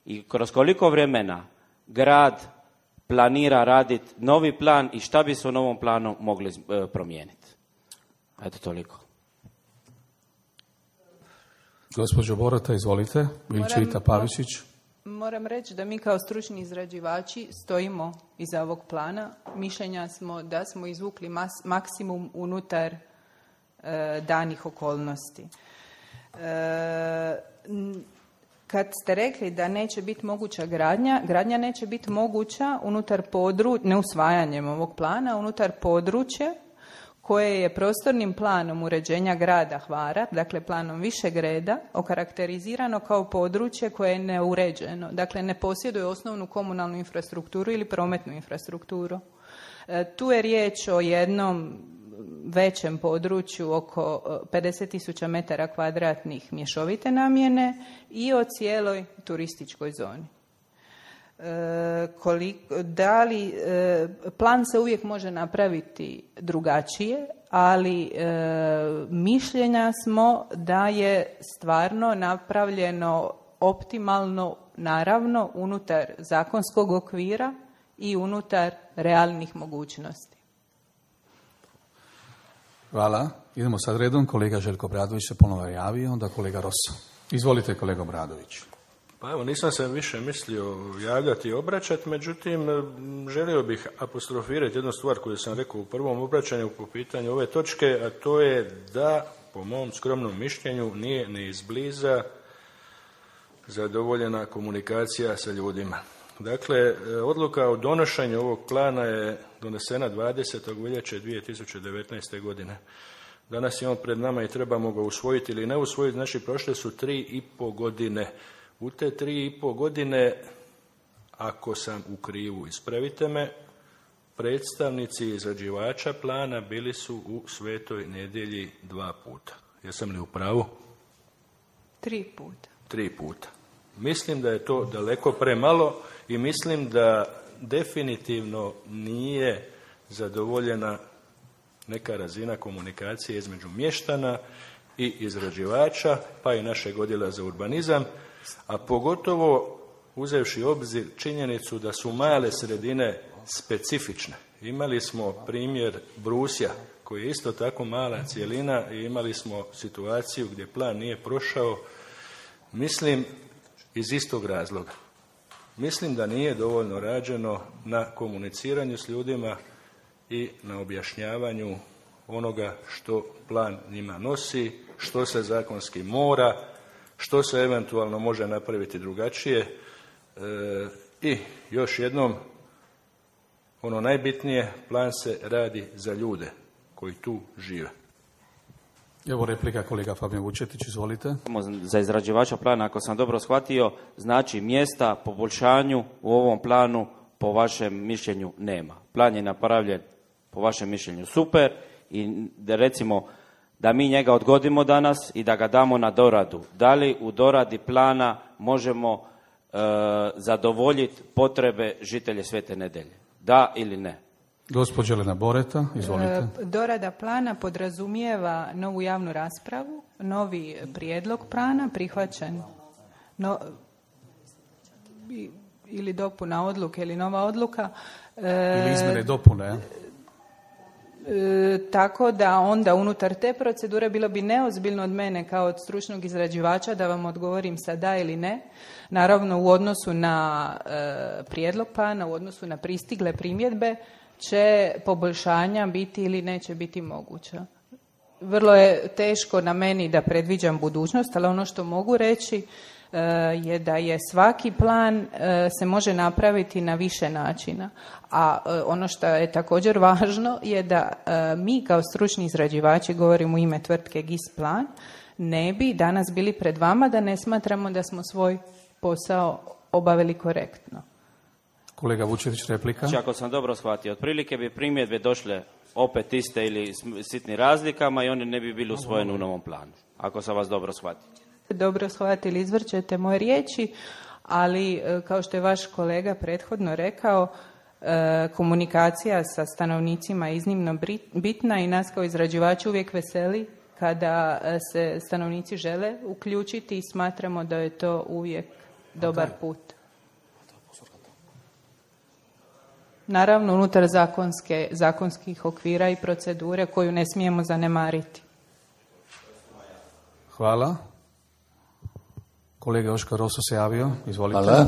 i kroz koliko vremena grad planira raditi novi plan i šta bi se u novom planu mogli e, promijeniti. Eto toliko. Gospođo Borota, izvolite. Vilčita Pavičić. Moram reći da mi kao stručni izrađivači stojimo iza ovog plana. Mišljenja smo da smo izvukli mas, maksimum unutar e, danih okolnosti. E, kad ste rekli da neće biti moguća gradnja, gradnja neće biti moguća unutar područja, ne usvajanjem ovog plana, unutar područja koje je prostornim planom uređenja grada Hvara, dakle planom višeg reda, okarakterizirano kao područje koje je neuređeno, dakle ne posjeduje osnovnu komunalnu infrastrukturu ili prometnu infrastrukturu. E, tu je riječ o jednom većem području oko pedeset tisuća metara kvadratnih mješovite namjene i o cijeloj turističkoj zoni. E, koliko, da li, e, plan se uvijek može napraviti drugačije, ali e, mišljenja smo da je stvarno napravljeno optimalno, naravno, unutar zakonskog okvira i unutar realnih mogućnosti. Hvala. Idemo sad redom. Kolega Željko Obradović se ponovo javio, onda kolega Rosso. Izvolite, kolega Obradović. Pa evo, nisam se više mislio javljati i obraćati, međutim, želio bih apostrofirati jednu stvar koju sam rekao u prvom obraćanju po pitanju ove točke, a to je da, po mom skromnom mišljenju, nije ni izbliza zadovoljena komunikacija sa ljudima. Dakle, odluka o donošenju ovog plana je donesena dvadesetog veljače dvije tisuće devetnaeste. godine. Danas je on pred nama i trebamo ga usvojiti ili ne usvojiti, znači prošle su tri i po godine. U te tri i po godine, ako sam u krivu, ispravite me, predstavnici izrađivača plana bili su u Svetoj Nedjelji dva puta. Jesam li u pravu? Tri puta. Tri puta. Mislim da je to daleko premalo i mislim da definitivno nije zadovoljena neka razina komunikacije između mještana i izrađivača, pa i našeg odjela za urbanizam, a pogotovo uzevši obzir činjenicu da su male sredine specifične. Imali smo primjer Brusja, koji je isto tako mala cjelina i imali smo situaciju gdje plan nije prošao, mislim, iz istog razloga. Mislim da nije dovoljno rađeno na komuniciranju s ljudima i na objašnjavanju onoga što plan njima nosi, što se zakonski mora, što se eventualno može napraviti drugačije. E, I još jednom, ono najbitnije, plan se radi za ljude koji tu žive. Evo replika kolega Fabijan Vučetić, izvolite. Za izrađivača plana, ako sam dobro shvatio, znači mjesta poboljšanju u ovom planu po vašem mišljenju nema. Plan je napravljen po vašem mišljenju super i da recimo da mi njega odgodimo danas i da ga damo na doradu. Da li u doradi plana možemo e, zadovoljiti potrebe žitelje Svete Nedelje? Da ili ne? Gospođa Elena Boreta, izvolite. Dorada plana podrazumijeva novu javnu raspravu, novi prijedlog plana, prihvaćen no, ili dopuna odluke ili nova odluka. Ili izmjene dopune, E, tako da onda unutar te procedure bilo bi neozbiljno od mene kao od stručnog izrađivača da vam odgovorim sa da ili ne. Naravno u odnosu na e, prijedlog plana, u odnosu na pristigle primjedbe će poboljšanja biti ili neće biti moguća. Vrlo je teško na meni da predviđam budućnost, ali ono što mogu reći e, je da je svaki plan e, se može napraviti na više načina. A e, ono što je također važno je da e, mi kao stručni izrađivači, govorim u ime tvrtke G I S Plan, ne bi danas bili pred vama da ne smatramo da smo svoj posao obavili korektno. Kolega Vučetić, replika. Znači, ako sam dobro shvatio, otprilike bi primjedbe došle opet iste ili sitni razlikama i oni ne bi bili usvojeni u novom planu. Ako sam vas dobro shvatio. Dobro shvatili, izvrćete moje riječi, ali kao što je vaš kolega prethodno rekao, komunikacija sa stanovnicima je iznimno bitna i nas kao izrađivači uvijek veseli kada se stanovnici žele uključiti i smatramo da je to uvijek dobar put. Naravno, unutar zakonske, zakonskih okvira i procedure koju ne smijemo zanemariti. Hvala. Kolega Joško Roso se javio, izvolite. Hvala.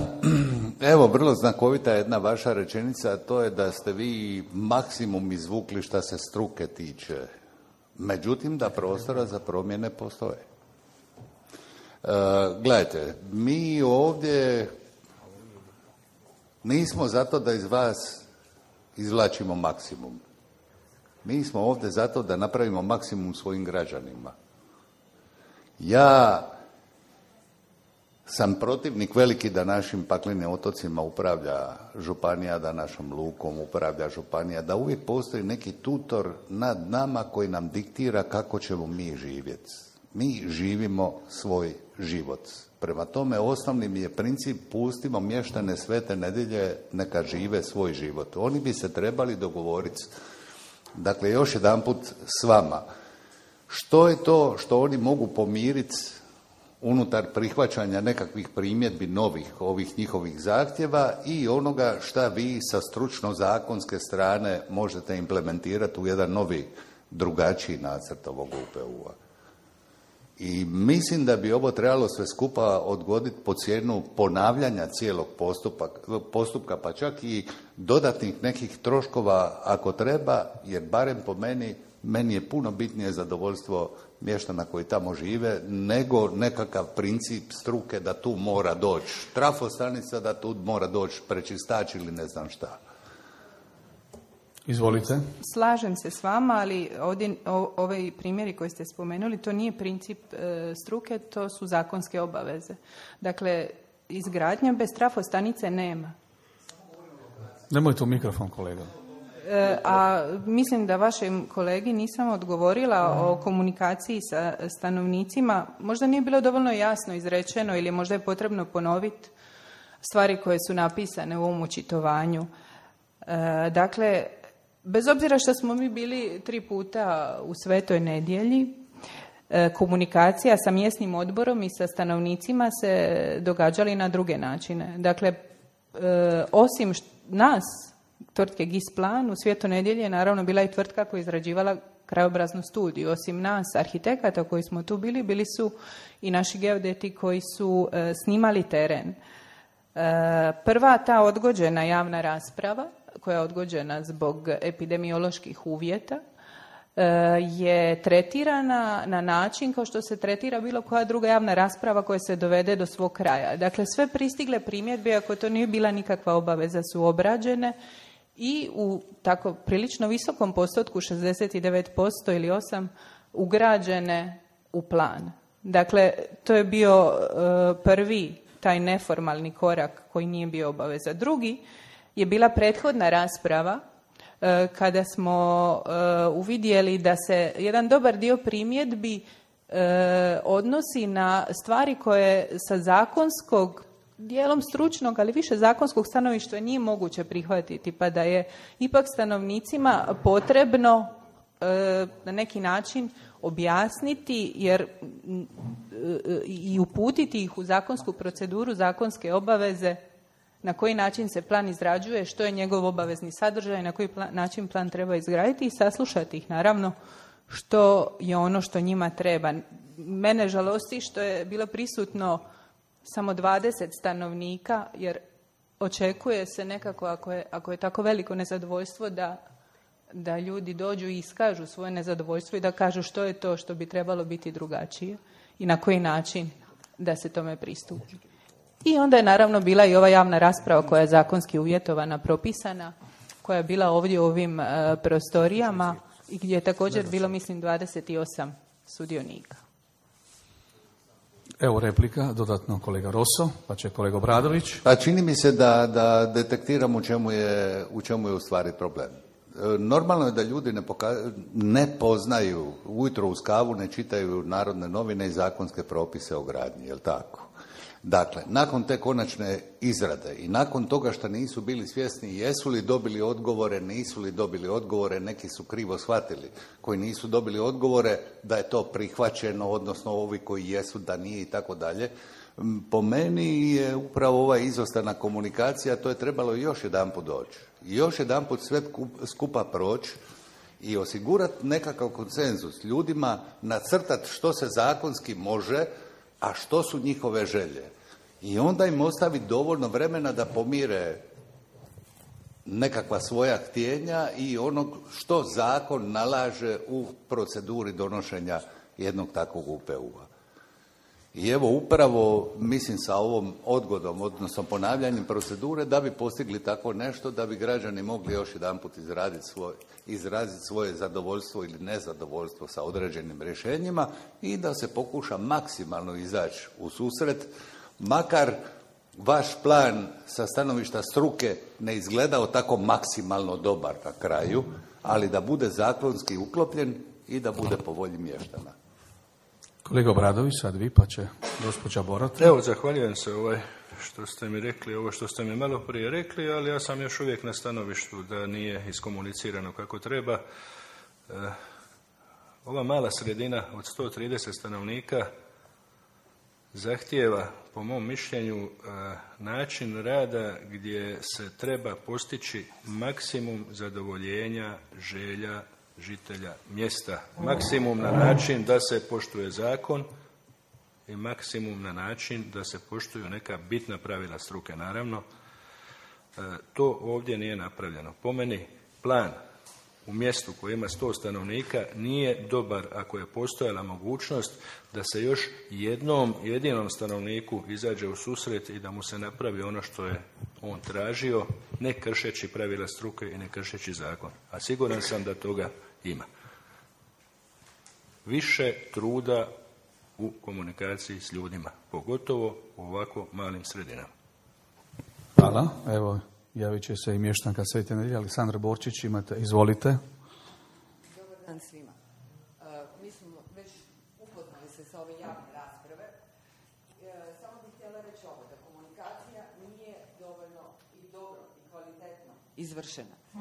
Evo, vrlo znakovita jedna vaša rečenica, a to je da ste vi maksimum izvukli šta se struke tiče. Međutim, da prostora za promjene postoje. E, gledajte, mi ovdje nismo zato da iz vas izvlačimo maksimum. Mi smo ovdje zato da napravimo maksimum svojim građanima. Ja sam protivnik veliki da našim paklenim otocima upravlja županija, da našom lukom upravlja županija, da uvijek postoji neki tutor nad nama koji nam diktira kako ćemo mi živjeti. Mi živimo svoj život. Prema tome, osnovni mi je princip, pustimo mještane Svete Nedelje neka žive svoj život. Oni bi se trebali dogovoriti. Dakle, još jedanput s vama. Što je to što oni mogu pomiriti unutar prihvaćanja nekakvih primjedbi novih ovih njihovih zahtjeva i onoga šta vi sa stručno-zakonske strane možete implementirati u jedan novi, drugačiji nacrt ovog U P U-a. I mislim da bi ovo trebalo sve skupa odgoditi po cijenu ponavljanja cijelog postupka, postupka, pa čak i dodatnih nekih troškova ako treba, jer barem po meni, meni je puno bitnije zadovoljstvo mještana koji tamo žive, nego nekakav princip struke da tu mora doći trafostanica, da tu mora doći prečistač ili ne znam šta. Izvolite. Slažem se s vama, ali ovdje o, ove primjeri koje ste spomenuli, to nije princip e, struke, to su zakonske obaveze. Dakle, izgradnja bez trafostanice nema. Nemojte u mikrofon, kolega. E, a mislim da vašem kolegi nisam odgovorila o komunikaciji sa stanovnicima. Možda nije bilo dovoljno jasno izrečeno ili možda je potrebno ponoviti stvari koje su napisane u ovom očitovanju. E, dakle, bez obzira što smo mi bili tri puta u Svetoj Nedjelji, e, komunikacija sa mjesnim odborom i sa stanovnicima se događala i na druge načine. Dakle, e, osim št- nas, tvrtke Gisplan, u Svetoj Nedjelji je naravno bila i tvrtka koja je izrađivala krajobraznu studiju. Osim nas, arhitekata koji smo tu bili, bili su i naši geodeti koji su e, snimali teren. E, prva ta odgođena javna rasprava, koja je odgođena zbog epidemioloških uvjeta, e, je tretirana na način kao što se tretira bilo koja druga javna rasprava koja se dovede do svog kraja. Dakle, sve pristigle primjedbe, ako to nije bila nikakva obaveza, su obrađene i u tako prilično visokom postotku, šezdeset devet posto ili osam, ugrađene u plan. Dakle, to je bio e, prvi taj neformalni korak koji nije bio obaveza. Drugi je bila prethodna rasprava e, kada smo e, uvidjeli da se jedan dobar dio primjedbi e, odnosi na stvari koje sa zakonskog, dijelom stručnog, ali više zakonskog stanovišta nije moguće prihvatiti, pa da je ipak stanovnicima potrebno e, na neki način objasniti jer i uputiti ih u zakonsku proceduru, zakonske obaveze, na koji način se plan izrađuje, što je njegov obavezni sadržaj, na koji plan, način plan treba izgraditi i saslušati ih, naravno, što je ono što njima treba. Mene žalosti što je bilo prisutno samo dvadeset stanovnika, jer očekuje se nekako, ako je, ako je tako veliko nezadovoljstvo, da, da ljudi dođu i iskažu svoje nezadovoljstvo i da kažu što je to što bi trebalo biti drugačije i na koji način da se tome pristupi. I onda je naravno bila i ova javna rasprava koja je zakonski uvjetovana, propisana, koja je bila ovdje u ovim uh, prostorijama i gdje je također bilo, mislim, dvadeset osam sudionika. Evo replika, dodatno kolega Rosso, pa će kolega Obradović. Pa čini mi se da, da detektiram u čemu je, u čemu je u stvari problem. Normalno je da ljudi ne, poka- ne poznaju, ujutro uz kavu ne čitaju Narodne novine i zakonske propise o gradnji, jel tako? Dakle, nakon te konačne izrade i nakon toga što nisu bili svjesni jesu li dobili odgovore, nisu li dobili odgovore, neki su krivo shvatili, koji nisu dobili odgovore da je to prihvaćeno, odnosno ovi koji jesu da nije i tako dalje. Po meni je upravo ova izostana komunikacija, to je trebalo još jedanput doći. Još jedanput sve skupa proći i osigurati nekakav konsenzus ljudima, nacrtati što se zakonski može, a što su njihove želje. I onda im ostaviti dovoljno vremena da pomire nekakva svoja htjenja i onog što zakon nalaže u proceduri donošenja jednog takvog U P U-a. I evo upravo, mislim, sa ovom odgodom, odnosno ponavljanjem procedure, da bi postigli tako nešto, da bi građani mogli još jedanput izraditi svoj, izraziti svoje zadovoljstvo ili nezadovoljstvo sa određenim rješenjima i da se pokuša maksimalno izaći u susret, makar vaš plan sa stanovišta struke ne izgledao tako maksimalno dobar na kraju, ali da bude zakonski uklopljen i da bude po volji mještana. Kolega Obradović, sad vi, pa će gospođa Borat. Evo, zahvaljujem se ovaj što ste mi rekli, ovo što ste mi malo prije rekli, ali ja sam još uvijek na stanovištu da nije iskomunicirano kako treba. E, ova mala sredina od sto trideset stanovnika zahtijeva, po mom mišljenju, način rada gdje se treba postići maksimum zadovoljenja želja žitelja mjesta. Maksimum na način da se poštuje zakon i maksimum na način da se poštuju neka bitna pravila struke. Naravno, to ovdje nije napravljeno. Po meni, plan u mjestu koje ima sto stanovnika nije dobar ako je postojala mogućnost da se još jednom jedinom stanovniku izađe u susret i da mu se napravi ono što je on tražio, ne kršeći pravila struke i ne kršeći zakon. A siguran sam da toga ima. Više truda u komunikaciji s ljudima, pogotovo u ovako malim sredinama. Hvala. Evo Javit će se i mještanka Svete Nedjelje, Aleksandra Borčić, imate, izvolite. Dobar dan svima. Uh, mi smo već upoznali se sa ove javne rasprave. Uh, samo bih htjela reći ovo, da komunikacija nije dovoljno i dobro i kvalitetno izvršena. Uh,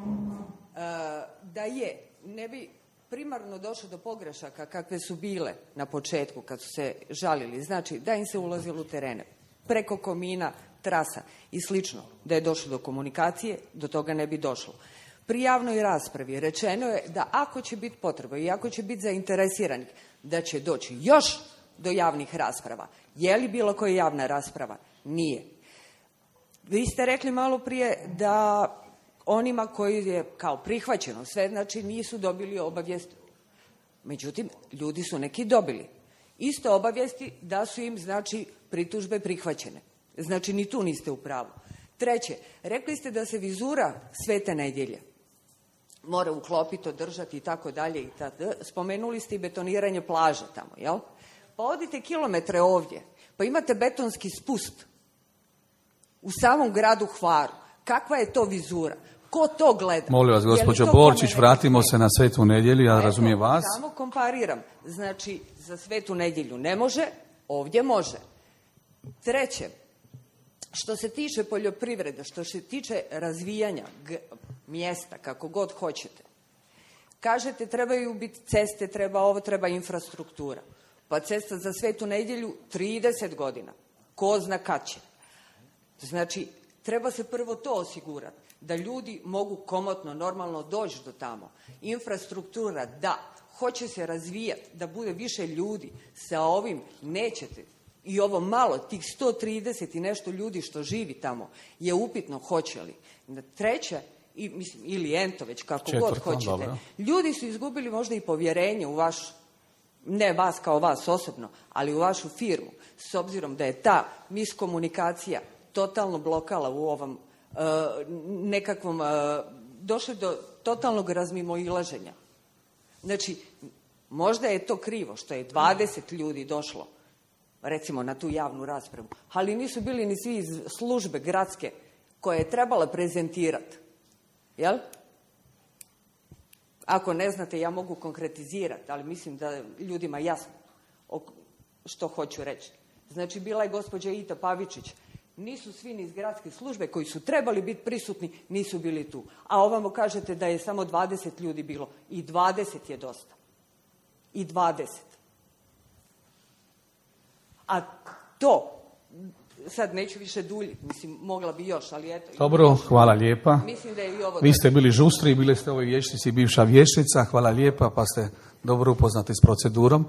da je, ne bi primarno došlo do pogrešaka kakve su bile na početku kad su se žalili. Znači, da im se ulazilo u terene, preko komina, trasa i slično, da je došlo do komunikacije, do toga ne bi došlo. Pri javnoj raspravi rečeno je da ako će biti potreba i ako će biti zainteresiranih, da će doći još do javnih rasprava. Je li bilo koja javna rasprava? Nije. Vi ste rekli malo prije da onima koji je kao prihvaćeno sve, znači nisu dobili obavijest. Međutim, ljudi su neki dobili. Isto obavijesti da su im, znači, pritužbe prihvaćene. Znači, ni tu niste u pravu. Treće, rekli ste da se vizura Svete Nedjelje mora uklopiti, održati i tako dalje. I tako. Spomenuli ste i betoniranje plaže tamo, jel? Pa odite kilometre ovdje, pa imate betonski spust u samom gradu Hvaru. Kakva je to vizura? Ko to gleda? Molim vas, gospođo Borčić, vratimo se na Svetu Nedjelju, ja razumijem vas. Samo kompariram. Znači, za Svetu Nedjelju ne može, ovdje može. Treće, što se tiče poljoprivrede, što se tiče razvijanja mjesta, kako god hoćete, kažete trebaju biti ceste, treba ovo, treba infrastruktura. Pa cesta za Svetu Nedjelju trideset godina. Ko zna kad će. Znači, treba se prvo to osigurati, da ljudi mogu komotno, normalno doći do tamo. Infrastruktura, da. Hoće se razvijati, da bude više ljudi. Sa ovim nećete. I ovo malo, tih sto trideset i nešto ljudi što živi tamo, je upitno hoće li. Treće, i, mislim, ili ento već, kako Četvrta, god hoćete. Dobro. Ljudi su izgubili možda i povjerenje u vaš, ne vas kao vas osobno, ali u vašu firmu. S obzirom da je ta miskomunikacija totalno blokala u ovom uh, nekakvom, uh, došli do totalnog razmimoilaženja. Znači, možda je to krivo što je dvadeset ljudi došlo, recimo, na tu javnu raspravu, ali nisu bili ni svi iz službe gradske koje je trebala prezentirati. Jel? Ako ne znate, ja mogu konkretizirati, ali mislim da je ljudima jasno što hoću reći. Znači, bila je gospođa Ita Pavičić. Nisu svi ni iz gradske službe koji su trebali biti prisutni, nisu bili tu. A ovamo kažete da je samo dvadeset ljudi bilo. I dvadeset je dosta. I dvadeset. A to, sad neću više duljiti, mislim, mogla bi još, ali eto. Dobro, hvala lijepa. Mislim da je i ovo... Vi ste bili žustri, bili ste ovoj vijećnici, bivša vijećnica, hvala lijepa, pa ste dobro upoznati s procedurom.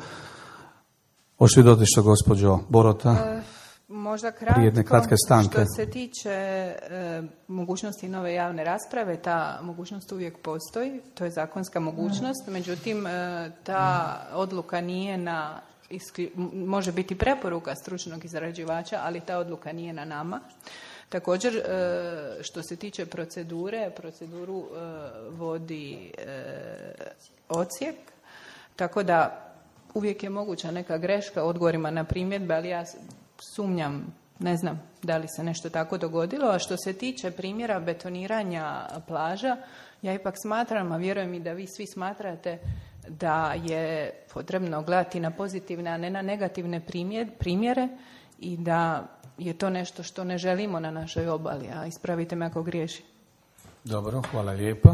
Hoćete dodati što, gospođo Borota? Uh, možda kratko, jedne kratke stanke. Što se tiče e, mogućnosti nove javne rasprave, ta mogućnost uvijek postoji, to je zakonska mogućnost, međutim, e, ta odluka nije na... može biti preporuka stručnog izrađivača, ali ta odluka nije na nama. Također, što se tiče procedure, proceduru vodi odsjek, tako da uvijek je moguća neka greška odgovorima na primjedbe, ali ja sumnjam, ne znam da li se nešto tako dogodilo. A što se tiče primjera betoniranja plaža, ja ipak smatram, a vjerujem i da vi svi smatrate, da je potrebno gledati na pozitivne, a ne na negativne primjere i da je to nešto što ne želimo na našoj obali, a ispravite me ako griješim. Dobro, hvala lijepa.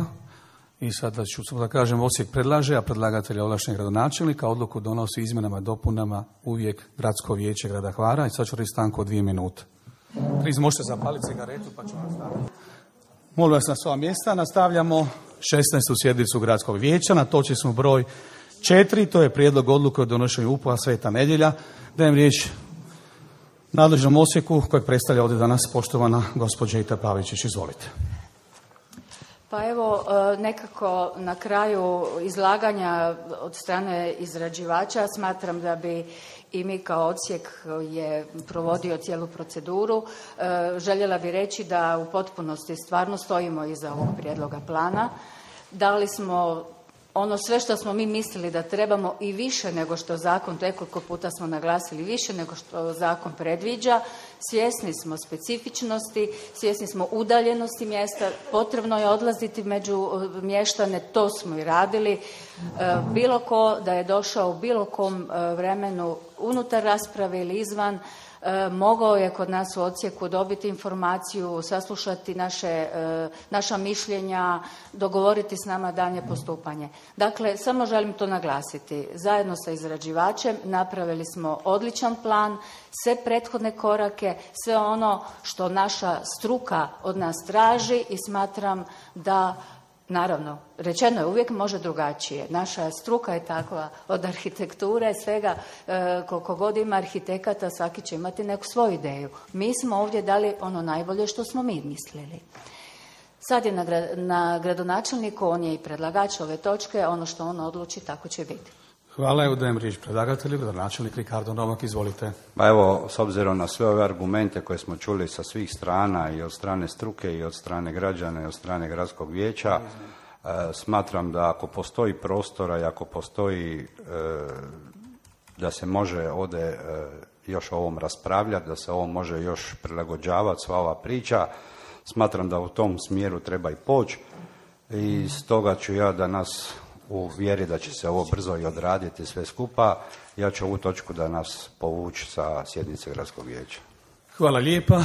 I sada ću samo da kažem, Osijek predlaže, a predlagatelj je ovlašteni gradonačelnik, a odluku donosi izmjenama, dopunama uvijek Gradsko vijeće grada Hvara. I sad ću reći stanku od dvije minute. Kriz, možete zapaliti cigaretu pa ću nastaviti. Molim vas na sva mjesta, nastavljamo šesnaestu sjednicu Gradskog vijeća, na točci smo broj četiri, to je prijedlog odluke o donošenju U P A Sveta Nedjelja. Dajem riječ nadležnom Osijeku kojeg predstavlja ovdje danas poštovana gospođa Ita Pavičić. Izvolite. Pa evo, nekako na kraju izlaganja od strane izrađivača smatram da bi i mi kao Odsjek je provodio cijelu proceduru. Željela bi reći da u potpunosti stvarno stojimo iza ovog prijedloga plana. Dali smo ono sve što smo mi mislili da trebamo i više nego što zakon, nekoliko puta smo naglasili, više nego što zakon predviđa, svjesni smo specifičnosti, svjesni smo udaljenosti mjesta, potrebno je odlaziti među mještane, to smo i radili. Bilo ko da je došao u bilo kom vremenu unutar rasprave ili izvan, mogao je kod nas u odsjeku dobiti informaciju, saslušati naše, naša mišljenja, dogovoriti s nama daljnje postupanje. Dakle, samo želim to naglasiti. Zajedno sa izrađivačem napravili smo odličan plan, sve prethodne korake, sve ono što naša struka od nas traži i smatram da, naravno, rečeno je uvijek može drugačije. Naša struka je takva, od arhitekture, svega, e, koliko god ima arhitekata, svaki će imati neku svoju ideju. Mi smo ovdje dali ono najbolje što smo mi mislili. Sad je na, na gradonačelniku, on je i predlagač ove točke, ono što on odluči, tako će biti. Hvala, evo dajem riječ predlagatelju, gradonačelnik Ricardo Novak, izvolite. Pa evo, s obzirom na sve ove argumente koje smo čuli sa svih strana, i od strane struke, i od strane građana, i od strane gradskog vijeća, e, smatram da ako postoji prostora i ako postoji e, da se može ovdje e, još o ovom raspravljati, da se ovo može još prilagođavati, sva ova priča, smatram da u tom smjeru treba i poći i stoga ću ja danas, u vjeri da će se ovo brzo i odraditi sve skupa, ja ću ovu točku da nas povući sa sjednice gradskog vijeća. Hvala lijepa.